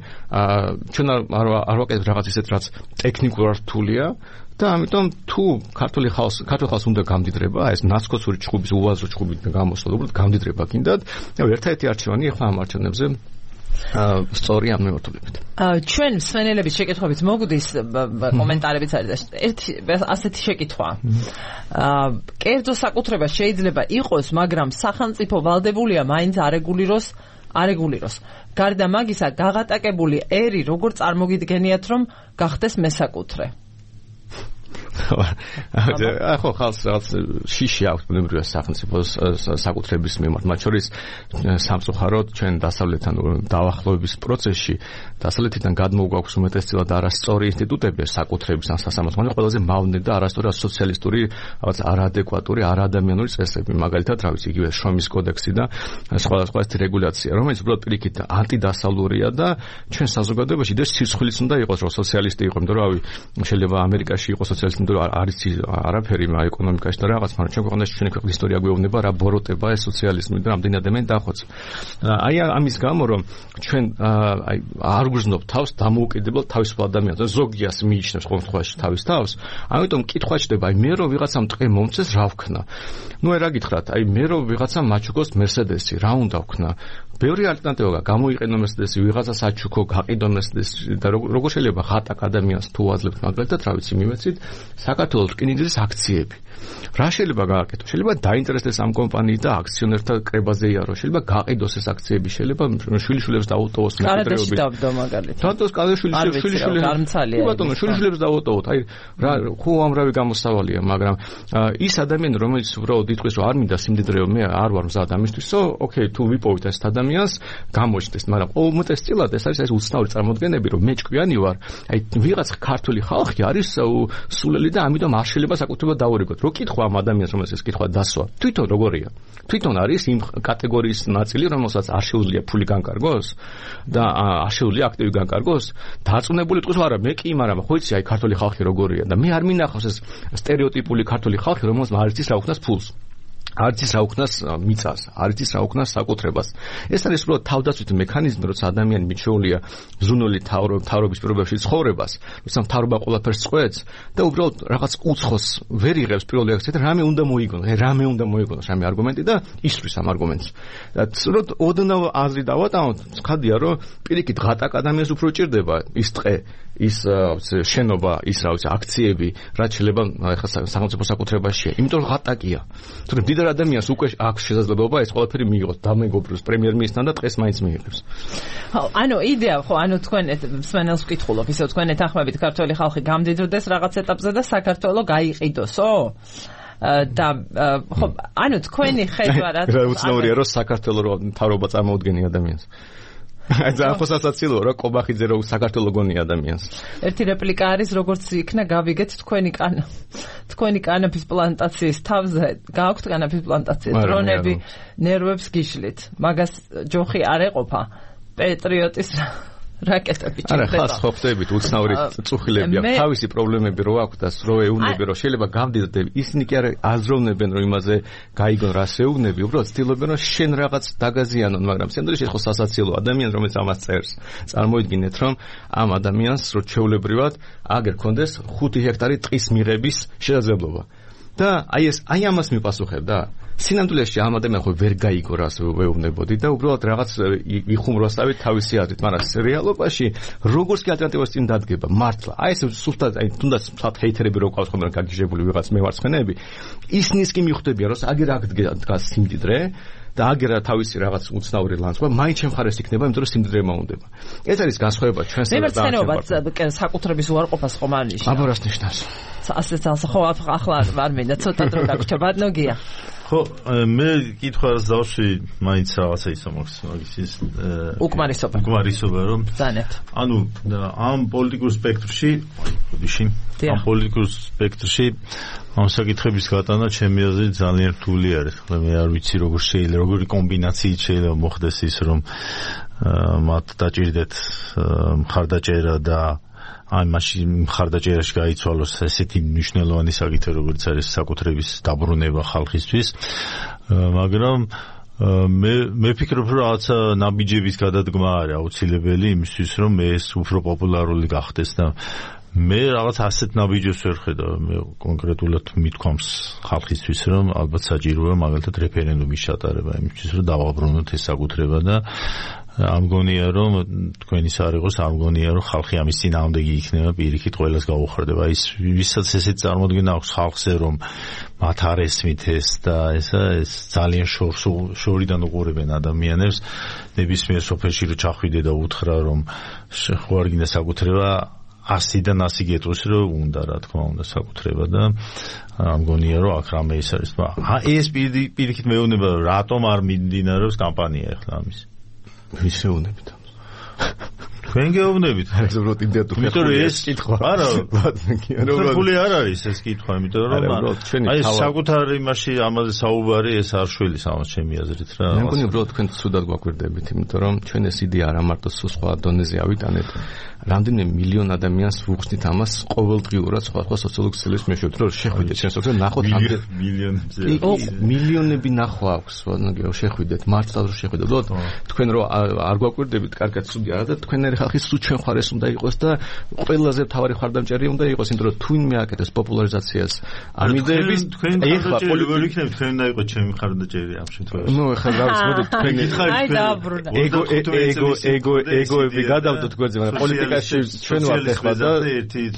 ჩვენ არ ვაკეთებთ რაღაც ისეთ, რაც ტექნიკურად რთულია. და ამიტომ თუ ქართული ხალხს უნდა გამდიდრება, ეს ნაცკოცური ჭუბის უაზრო ჭუბით გამოსვლა, უბრალოდ გამდიდრება გინდათ. ერთადერთი არჩევანი ახლა ამ არჩევნებზე სწორი ამ მიმართულებით. ჩვენ მსმენელების შეკითხვებით მოგვდის კომენტარებიც არის და ასეთი შეკითხვა. კერძო საკუთრება შეიძლება იყოს, მაგრამ სახელმწიფო ვალდებულია მაინც არეგულიროს. გარდა მაგისა, გაღატაკებული ერი როგორ წარმოგიდგენიათ, რომ გახდეს მესაკუთრე? ახლა ხალხს რაღაც შიში აქვს ბუნებრივად სახელმწიფოს საკუთრების მიმართ, მათ შორის სამწუხაროდ ჩვენ დასავლეთთან დაახლოების პროცესში დასავლეთიდან გადმოგვაქვს უმეტესწილად არასწორი ინსტიტუტები საკუთრების ან სასამართლო, ყველაზე მავნე და არასწორი სოციალისტური რაღაც არაადეკვატური, არაადამიანური წესები, მაგალითად, რა ვიცი, იგივე შრომის კოდექსი და სხვადასხვა რეგულაცია, რომელიც უბრალოდ პირიქით ანტიდასავლურია და ჩვენ საზოგადოებაში ეს სირცხვილიც უნდა იყოს, რომ სოციალისტი იყო, იმიტომ რომ შეიძლება ამერიკაში იყოს სოციალისტი, იმიტომ რომ არის არაფერი ეკონომიკაში და რაღაც, მაგრამ ჩვენ ქვეყანაში ჩვენი ქვეყნის ისტორია გვეუბნება რა ბოროტება ეს სოციალიზმი და რამდენი ადამიანი დახვეწა. აი ამის გამო რომ ჩვენ არ გვგრძნობ თავს დამოუკიდებლად თავისუფალ ადამიანს, ზოგიას მიიჩნევს ყოველ შემთხვევაში თავის თავს, ამიტომ კითხვა ჩდება, აი მე რომ ვიღაცამ ტყე მომწეს, რა ვქნა? ნუ რა გითხრათ, აი მე რომ ვიღაცამ მაჩუქოს მერსედესი, რა უნდა ვქნა? ბევრი ალტერნატივა გამოიყენო მერსედესი, ვიღაცას აჩუქო, გაყიდო მერსედესი და როგორ შეიძლება ხატაკ ადამიანს თუ აძლევთ, მაგალითად, რა ვიცი, მიმეცით საქართველოს რკინიგზის აქციები. რა შეიძლება გააკეთო? შეიძლება დაინტერესდეს ამ კომპანიით და აქციონერთა კრებაზე იარო, შეიძლება გაყიდოს ეს აქციები, შეიძლება შვილიშვილებს დაუტოვოს მეკითხრეობით. დავდო მაგალითად. დათოს შვილიშვილებს გამცალია. ბატონო, შვილიშვილებს დაუტოვოთ. აი რა ხო ამრავი გამოსავალია, მაგრამ ის ადამიანი, რომელიც უბრალოდ იტყვის, რომ არ მინდა სიმდიდრეო, მე არ ვარ მზად ამისთვისო, ოკეი, თუ ვიპოვით ეს ადამიანს, გამოჩნდეს, მაგრამ უმეტესწილად ეს არის უცნაური წარმოდგენები, რომ მე ჭკვიანი ვარ. აი ვიღაც ქართული ხალხი არის სულელი და ამიტომ არ შეიძლება საკუთრება დაურიგოთ. რო კითხვა ამ ადამიანს, რომელსაც ეს კითხვა დასვა, თვითონ როგორია? თვითონ არის იმ კატეგორიის ნაწილი, რომელსაც არ შეუძლია ფული განკარგოს და არ შეუძლია აქტივი განკარგოს. დარწმუნებული თქვის, არა, მე კი, მაგრამ ხო იცი, აი ქართული ხალხი როგორია და მე არ მინახავს ეს სტერეოტიპული ქართული ხალხი, რომელსაც არ იცის რა უხდას ფულს. არ იცის რა უქნას მიწას, არ იცის რა უქნას საკუთრებას. ეს არის უბრალოდ თავდაცვითი მექანიზმი, როცა ადამიანი მიჩვეულია ზრუნული თავრობის პირობებში ცხოვრებას, როცა თავრობა ყველაფერს წყვეტს და უბრალოდ რაღაც უცხოს ვერ იღებს პირველ რეაქციად, რამე უნდა მოიგონოს, რამე არგუმენტი და ისვრის ამ არგუმენტს. და ოდნავ აზრი დავატანოთ, ცხადია, რომ პირიქით ღატაკ ადამიანს უფრო ჭირდება ის ტყე, ის შენობა, ის რა ვიცი, აქციები, რაც შეიძლება ახლა სახელმწიფო საკუთრებაშია. იმიტომ რომ ღატაკია. თუმცა დიდარ ადამიანს უკვე აქვს შესაძლებლობა ეს ყველაფერი მიიღოს, დამეგობროს პრემიერ-მინისტრთან და დღეს მაინც მიიღებს. ანუ იდეა ხო, ანუ თქვენ მსმენელს ვკითხულობ, ისე თქვენ ეთანხმებით ქართული ხალხი გამდიდრდეს რაღაც ეტაპზე და საქართველოს გაიყიდოსო? და ხო, ანუ თქვენი ხედვა რა უცნაურია, რომ საქართველოს მთავრობა წარმოუდგენი ადამიანს. აი ძალიან ხოსასაცილოა, რომ კობახიძე რო საქართველოს გონი ადამიანს. ერთი რეპლიკა არის, როგორც იქნა გავიგეთ თქვენი კანაფის პლანტაციის თავზე, გააქვთ კანაფის პლანტაცია, დრონები ნერვებს გიშლით. მაგას ჯოხი არ ეყოფა. პეტრიოტის რაკეტები ჭირდება. არა, ხას ხო ხდებით, უცნაური წუხილები აქვს, თავისი პრობლემები რო აქვს და რო ეუბნები, რომ შეიძლება გამდიდრდები. ისინი კი არ აზროვნებენ, რომ იმაზე გაიგონ რას ეუბნები, უბრალოდ ცდილობენ, რომ შენ რაღაც დაგაზიანონ, მაგრამ სინამდვილეში ხო სასაცილო ადამიანი, რომელიც ამას წერს. წარმოიდგინეთ, რომ ამ ადამიანს რო ჩვეულებრივად აგერ კონდეს 5 ჰექტარი ტყის მიღების შესაძლებლობა. და აი ამას მიპასუხებდა. სინამდვილეში ამ ადამიანს ხო ვერ გაიგო რას ვეუბნებოდი და უბრალოდ რაღაც იხუმროსავით თავისი აზრით, მაგრამ რეალობაში როგორც კი ალტერნატივას წინ დადგება მართლა. აი ეს სულთან აი თუნდაც მსახ ჰეითერები რო ყავს ხოლმე გაგიჟებული ვიღაც მევარცხენები, ისინიც კი მიხვდებიან, რომ აგერ აქ დგას სიმდიდრე და აგერა თავისი რაღაც უცნაური ლანცვა, მაინც შემხარეს იქნება, იმიტომ რომ სიმდიდრე მაუნდება. ეს არის განსხვავება ჩვენსა და მემარცხენეობა საკუთრების უარყოფას ხომ არ ნიშნავს. აბა რას ნიშნავს? ასე ძალსა ხო ახლა არ მინდა ცოტა დრო დაგვრჩა ბატონოგია. ხო, მე კითხვას დავშვი, მაინც რაღაცა ისა მაქვს, მაგის უკმარისობა რომ ზანეთ. ანუ ამ პოლიტიკურ სპექტრში, ამ საკითხების გატანა ჩემი აზრით ძალიან რთული არის. ხლა მე არ ვიცი როგორი კომბინაციით შეიძლება მოხდეს ის, რომ მათ დაჭირდეთ მხარდაჭერა და აი მაშინ მხარდაჭერაში გაიცვალოს ესეთი მნიშვნელოვანი საკითხი, როგორც არის საკუთრების დაბრუნება ხალხისთვის, მაგრამ მე ვფიქრობ, რომ რაღაცა ნაბიჯების გადადგმა არის აუცილებელი იმისთვის, რომ ეს უფრო პოპულარული გახდეს და მე რაღაც ასეთ ნაბიჯებს ვერ ხედავ. მე კონკრეტულად მithქვამს ხალხისთვის, რომ ალბათ საჭიროა მაგალითად რეფერენდუმის ჩატარება იმისთვის, რომ დავაბრუნოთ ეს საკუთრება და ამ გონია რომ თქვენის არ იყოს, ამ გონია რომ ხალხი ამის წინააღმდეგი იქნება, პირიქით ყველას გაუხარდება. ის ვისაც ესეთ წარმოდგენა აქვს ხალხზე, რომ მათ არ ესმით ეს და ეს ძალიან შორიდან უყურებენ ადამიანებს, ნებისმიერ სოფელში რომ ჩახვიდე და უთხრა რომ ხო არ გინდა საკუთრება 100-დან 100 გეტყვის რომ უნდა, რა თქმა უნდა, საკუთრება და ამ გონია რომ აქ რამე ის არის. ეს პირიქით მეუბნება რატომ არ მიმდინარეობს კამპანია ახლა ამის. ვისეუნებით. თქვენ გეუბნებით. ეს უბრალოდ იმდენად იმიტომ რომ ეს კითხვა. არა, უბრალოდ არ არის ეს კითხვა, იმიტომ რომ აი საკუთარ იმაში ამაზე საუბარი ეს არ შვილის ამას ჩემი აზრით რა. მე მგონი უბრალოდ თქვენ ცუდად გვაკვირდებით, იმიტომ რომ ჩვენ ეს იდეა არა მარტო სხვა დონეზე ავიტანეთ. რამდენიმე მილიონ ადამიანს ვუხსნით ამას ყოველდღიურად სხვა სოციალურ ქსელებს მეშვიდეთ, რომ შეხვიდეთ ჩვენ სოციალურ ნახოთ მილიონები ნახვა აქვს, შეხვიდეთ, მართლაც რომ შეხვიდეთ. თქვენ რომ არ გვაკვირდებით, კარგად ცუდი არა და თქვენერი ხალხი სულ ჩვენ ხარეს უნდა იყოს და ყველაზე მთავარი ხარდამჭერი უნდა იყოს, იმიტომ რომ თუ ვინმე აკეთებს პოპულარიზაციას ამიდეების ეხლა პოლიტიკური იქნება თქვენ უნდა იყოს ჩემი ხარდამჭერი ამ შემთხვევაში. ნუ ეხლა გავსმოდით თქვენი ეგოები გადავდოთ გვერდზე, მაგრამ პოლიტიკაში ჩვენ ვართ ეხლა და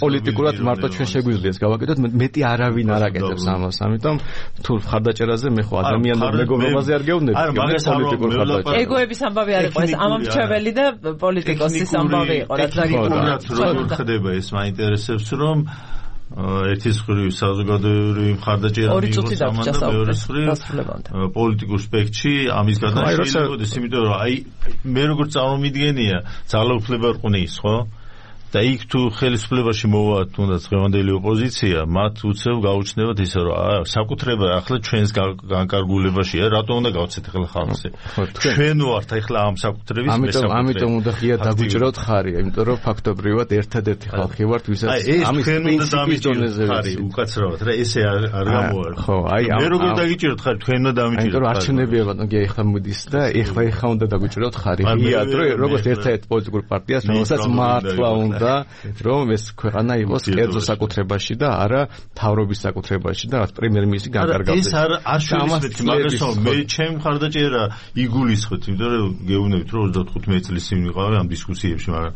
პოლიტიკურად მარტო ჩვენ შეგვიძლია გავაკეთოთ, მეტი არავინ არ აკეთებს ამას, ამიტომ თუ ხარდაჭერაზე მე ხო ადამიანურ მეგობრობაზე არ გეუბნები, პოლიტიკურ ხარდაჭერაზე. ეგოების ამბავი არ იყო ეს, ამომრჩეველი და პოლიტიკოსის ამბავი იყო, რაც როგორ ხდება ეს მაინტერესებს, რომ ერთის მხრივ საზოგადოებრივი მხარდაჭერა მიიღოს ამან და მეორეს მხრივ პოლიტიკურ სპექტრში ამის გადაშლილი შეიძლებოდეს, იმიტომ რომ აი მე როგორც წარმომიდგენია ძალაუფლება რყნის, ხო? და იქ თუ ხელისუფლებაში მოვა თუნდაც დღევანდელი ოპოზიცია, მათ უცებ გაუჩნდებათ ისე რომ საკუთრება ახლა ჩვენს განკარგულებაშია, რატომ უნდა გავცეთ ახლა ხალხზე? ჩვენ ვართ ახლა ამ საკუთრების მესაკუთრე. ამიტომ უნდა ღია დაგვიჭროთ ხარი, იმიტომ რომ ფაქტობრივად ერთადერთი ხალხი ვართ, ვისაც ამის პრინციპის დონეზე ხარი უკაცრავად რა, ესე არ გამოარ. ხო, აი მე როგორ დაგიჭიროთ ხარი, თქვენ უნდა დამიჭიროთ. იმიტომ რომ არჩევნებია ბატონო, ახლა მოდის და ახლა უნდა დაგვიჭროთ ხარი. ღიად რომ როგორც ერთ-ერთ პოლიტიკურ პარტიას, რომელსაც მართლა უნდა რომ ეს ქვეყანა იყოს კერძო საკუთრებაში და არა თავრობის საკუთრებაში და პრემიერ-მინისტრი განკარგავდეს. ეს არ შევისმეთ, მაგრამ მე ჩემ მხარდაჭერა იგულისხმეთ, იმიტომ რომ გეუბნებით რომ 35 წლის წინ ვიყავი ამ დისკუსიებში, მაგრამ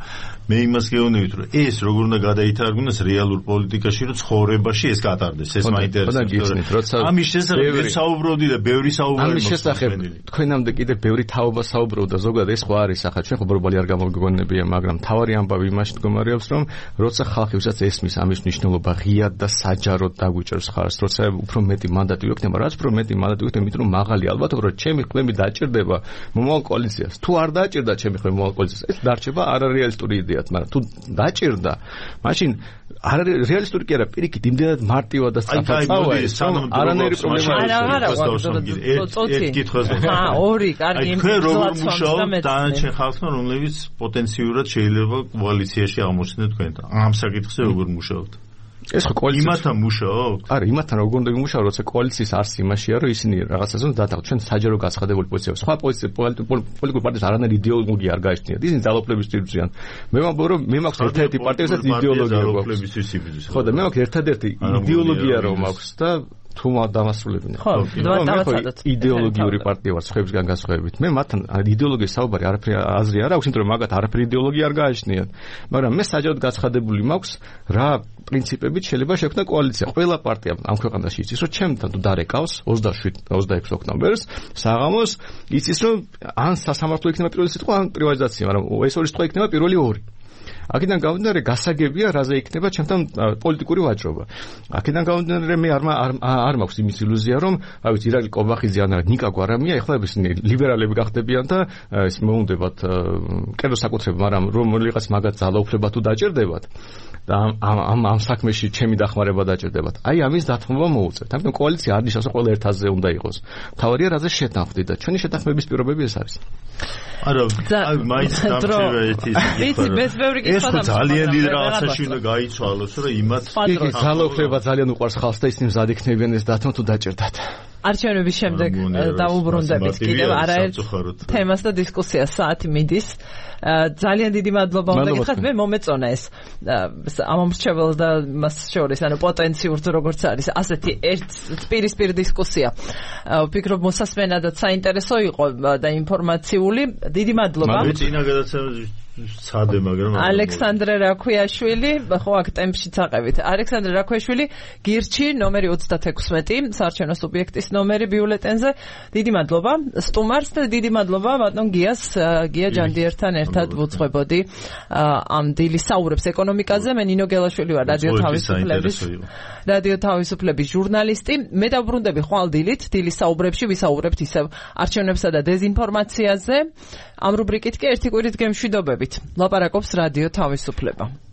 მე იმას გეუბნებით რომ ეს როგორ უნდა გადაითარგმნოს რეალურ პოლიტიკაში, რომ ცხოვრებაში ეს გატარდეს, ეს მაინტერესებს. ამის შესახებ საუბრობდი და ბევრი საუბარი ამის შესახებ თქვენამდე კიდე ბევრი თაობა საუბრობდა, ზოგადად ეს ხო არის, ახლა ჩვენ ხო ბორბალი არ გამოგგონებია, მაგრამ თავარი ამბავი იმაში მდგომარეობს, რომ როცა ხალხი ვისაც ესმის ამის მნიშვნელობა ღიად და საჯაროდ დაგვიჭერს ხარს, როცა უფრო მეტი მანდატი ვექნება, რაც უფრო მეტი მანდატი ვექნება, იმიტომ რომ მაღალი ალბათობა რომ ჩემი ხმები დაჭირდება მომავალ კოალიციას. თუ არ დაჭირდა ჩემი ხმები მომავალ კოალიციას, ეს დარჩება არარეალისტური იდეად, მაგრამ თუ დაჭირდა, მაშინ რეალისტური კი არა, პირიქით იმდენად მარტივად და სწრაფად წავა ეს, არანაირი პრობლემა არ აქვს. ერთ კითხვას ორი, კარგი, თქვენ როგორ მუშაობთ დანარჩენ ხალხთან, რომლებიც პოტენციურად შეიძლება კოალიციაში აღმოჩნდნენ თქვენთან? ამ საკითხზე როგორ მუშაობთ? ეს ხო კოალიცია იმათთან მუშაობთ? არა, იმათთან როგორ უნდა ვიმუშაო, როცა კოალიციის არს იმაშია, რომ ისინი რაღაცას უნდა დათანხმდეთ. ჩვენ საჯარო გაცხადებულ პოზიციებში. სხვა პოლიტიკურ პარტიას არანაირი იდეოლოგია არ გააჩნიათ. ისინი ძალაუფლების ტიპზეა. მე ვამბობ, რომ მე მაქვს ერთ-ერთი პარტია, ვისაც იდეოლოგია გვაქვს. ხო და მე მაქვს ერთადერთი იდეოლოგია რომ მაქვს და თუ დამასრულებინე. ხო, იდეოლოგიური პარტია ვარ, სხვებისგან განსხვავებით. მე მათთან იდეოლოგიის საუბარი არაფერი აზრი არ აქვს, იმიტომ რომ მაგათ არაფერი იდეოლოგია არ გააჩნიათ. მაგრამ მე საჯაროდ გაცხადებული მაქვს, რა პრინციპებით შეიძლება შექმნა კოალიცია. ყველა პარტია ამ ქვეყანაში იცის, რომ ჩემთან თუ დარეკავს 27-26 ოქტომბერს საღამოს, იცის, რომ ან სასამართლო იქნება პირველი სიტყვა, ან პრივატიზაცია, მაგრამ ეს ორი სიტყვა იქნება პირველი ორი. აქედან გამომდინარე გასაგებია რაზე იქნება ჩემთან პოლიტიკური ვაჭრობა. აქედან გამომდინარე მე არ მაქვს იმის ილუზია რომ აი ვიცი ირაკლი კობახიძე ან ნიკა გვარამია ეხლა ისინი ლიბერალები გახდებიან და ეს მოუნდებათ კერძო საკუთრება, მაგრამ რომელიღაც მაგათ ძალაუფლება თუ დაჭირდებათ და ამ საქმეში ჩემი დახმარება დაჭირდებათ. აი ამის დათმობა მოუწევთ. ამიტომ კოალიცია არ ნიშნავს რომ ყველა ერთ აზრზე უნდა იყოს. თავარია რაზე შეთანხმდით და ჩვენი შეთანხმების პირობები ეს არის. არა, მაინც დამჭირდა ერთი. ვიცი, მეც ბევრი კითხვა ეს ხო ძალიან დიდ რაღაცაში უნდა გაიცვალოს, რომ იმათ ძალაუფლება ძალიან უყვარს ხალხს და ისინი მზად იქნებიან ეს დათმო თუ დაჭერდათ. არჩევნების შემდეგ დაუბრუნდებით კიდევ არაერთ თემას და დისკუსიას საათი მიდის. ძალიან დიდი მადლობა უნდა გითხრათ, მე მომეწონა ეს ამომრჩეველ და მას შორის ანუ პოტენციურს როგორც არის ასეთი ერთ პირისპირ დისკუსია. ვფიქრობ მოსასმენადაც საინტერესო იყო და ინფორმაციული. დიდი მადლობა. მე წინა გადაცემაში სცადე, მაგრამ ალექსანდრე რაქვიაშვილი, ხო აქ ტემპშიც აყევით. ალექსანდრე რაქვიაშვილი, გირჩი ნომერი 36, საარჩევნო სუბიექტის ნომერი ბიულეტენზე. დიდი მადლობა სტუმარს და დიდი მადლობა ბატონ გიას, გია ჯანდიერთან ერთად ვუძღვებოდი ამ დილის საუბრებს ეკონომიკაზე. მე ნინო გელაშვილი ვარ, რადიო თავისუფლების ჟურნალისტი. მე დავბრუნდები ხვალ დილით, დილის საუბრებში ვისაუბრებთ ისევ არჩევნებსა და დეზინფორმაციაზე. ამ რუბრიკით კი ერთი კვირით გემშვიდობებით. ლაპარაკობს რადიო თავისუფლება.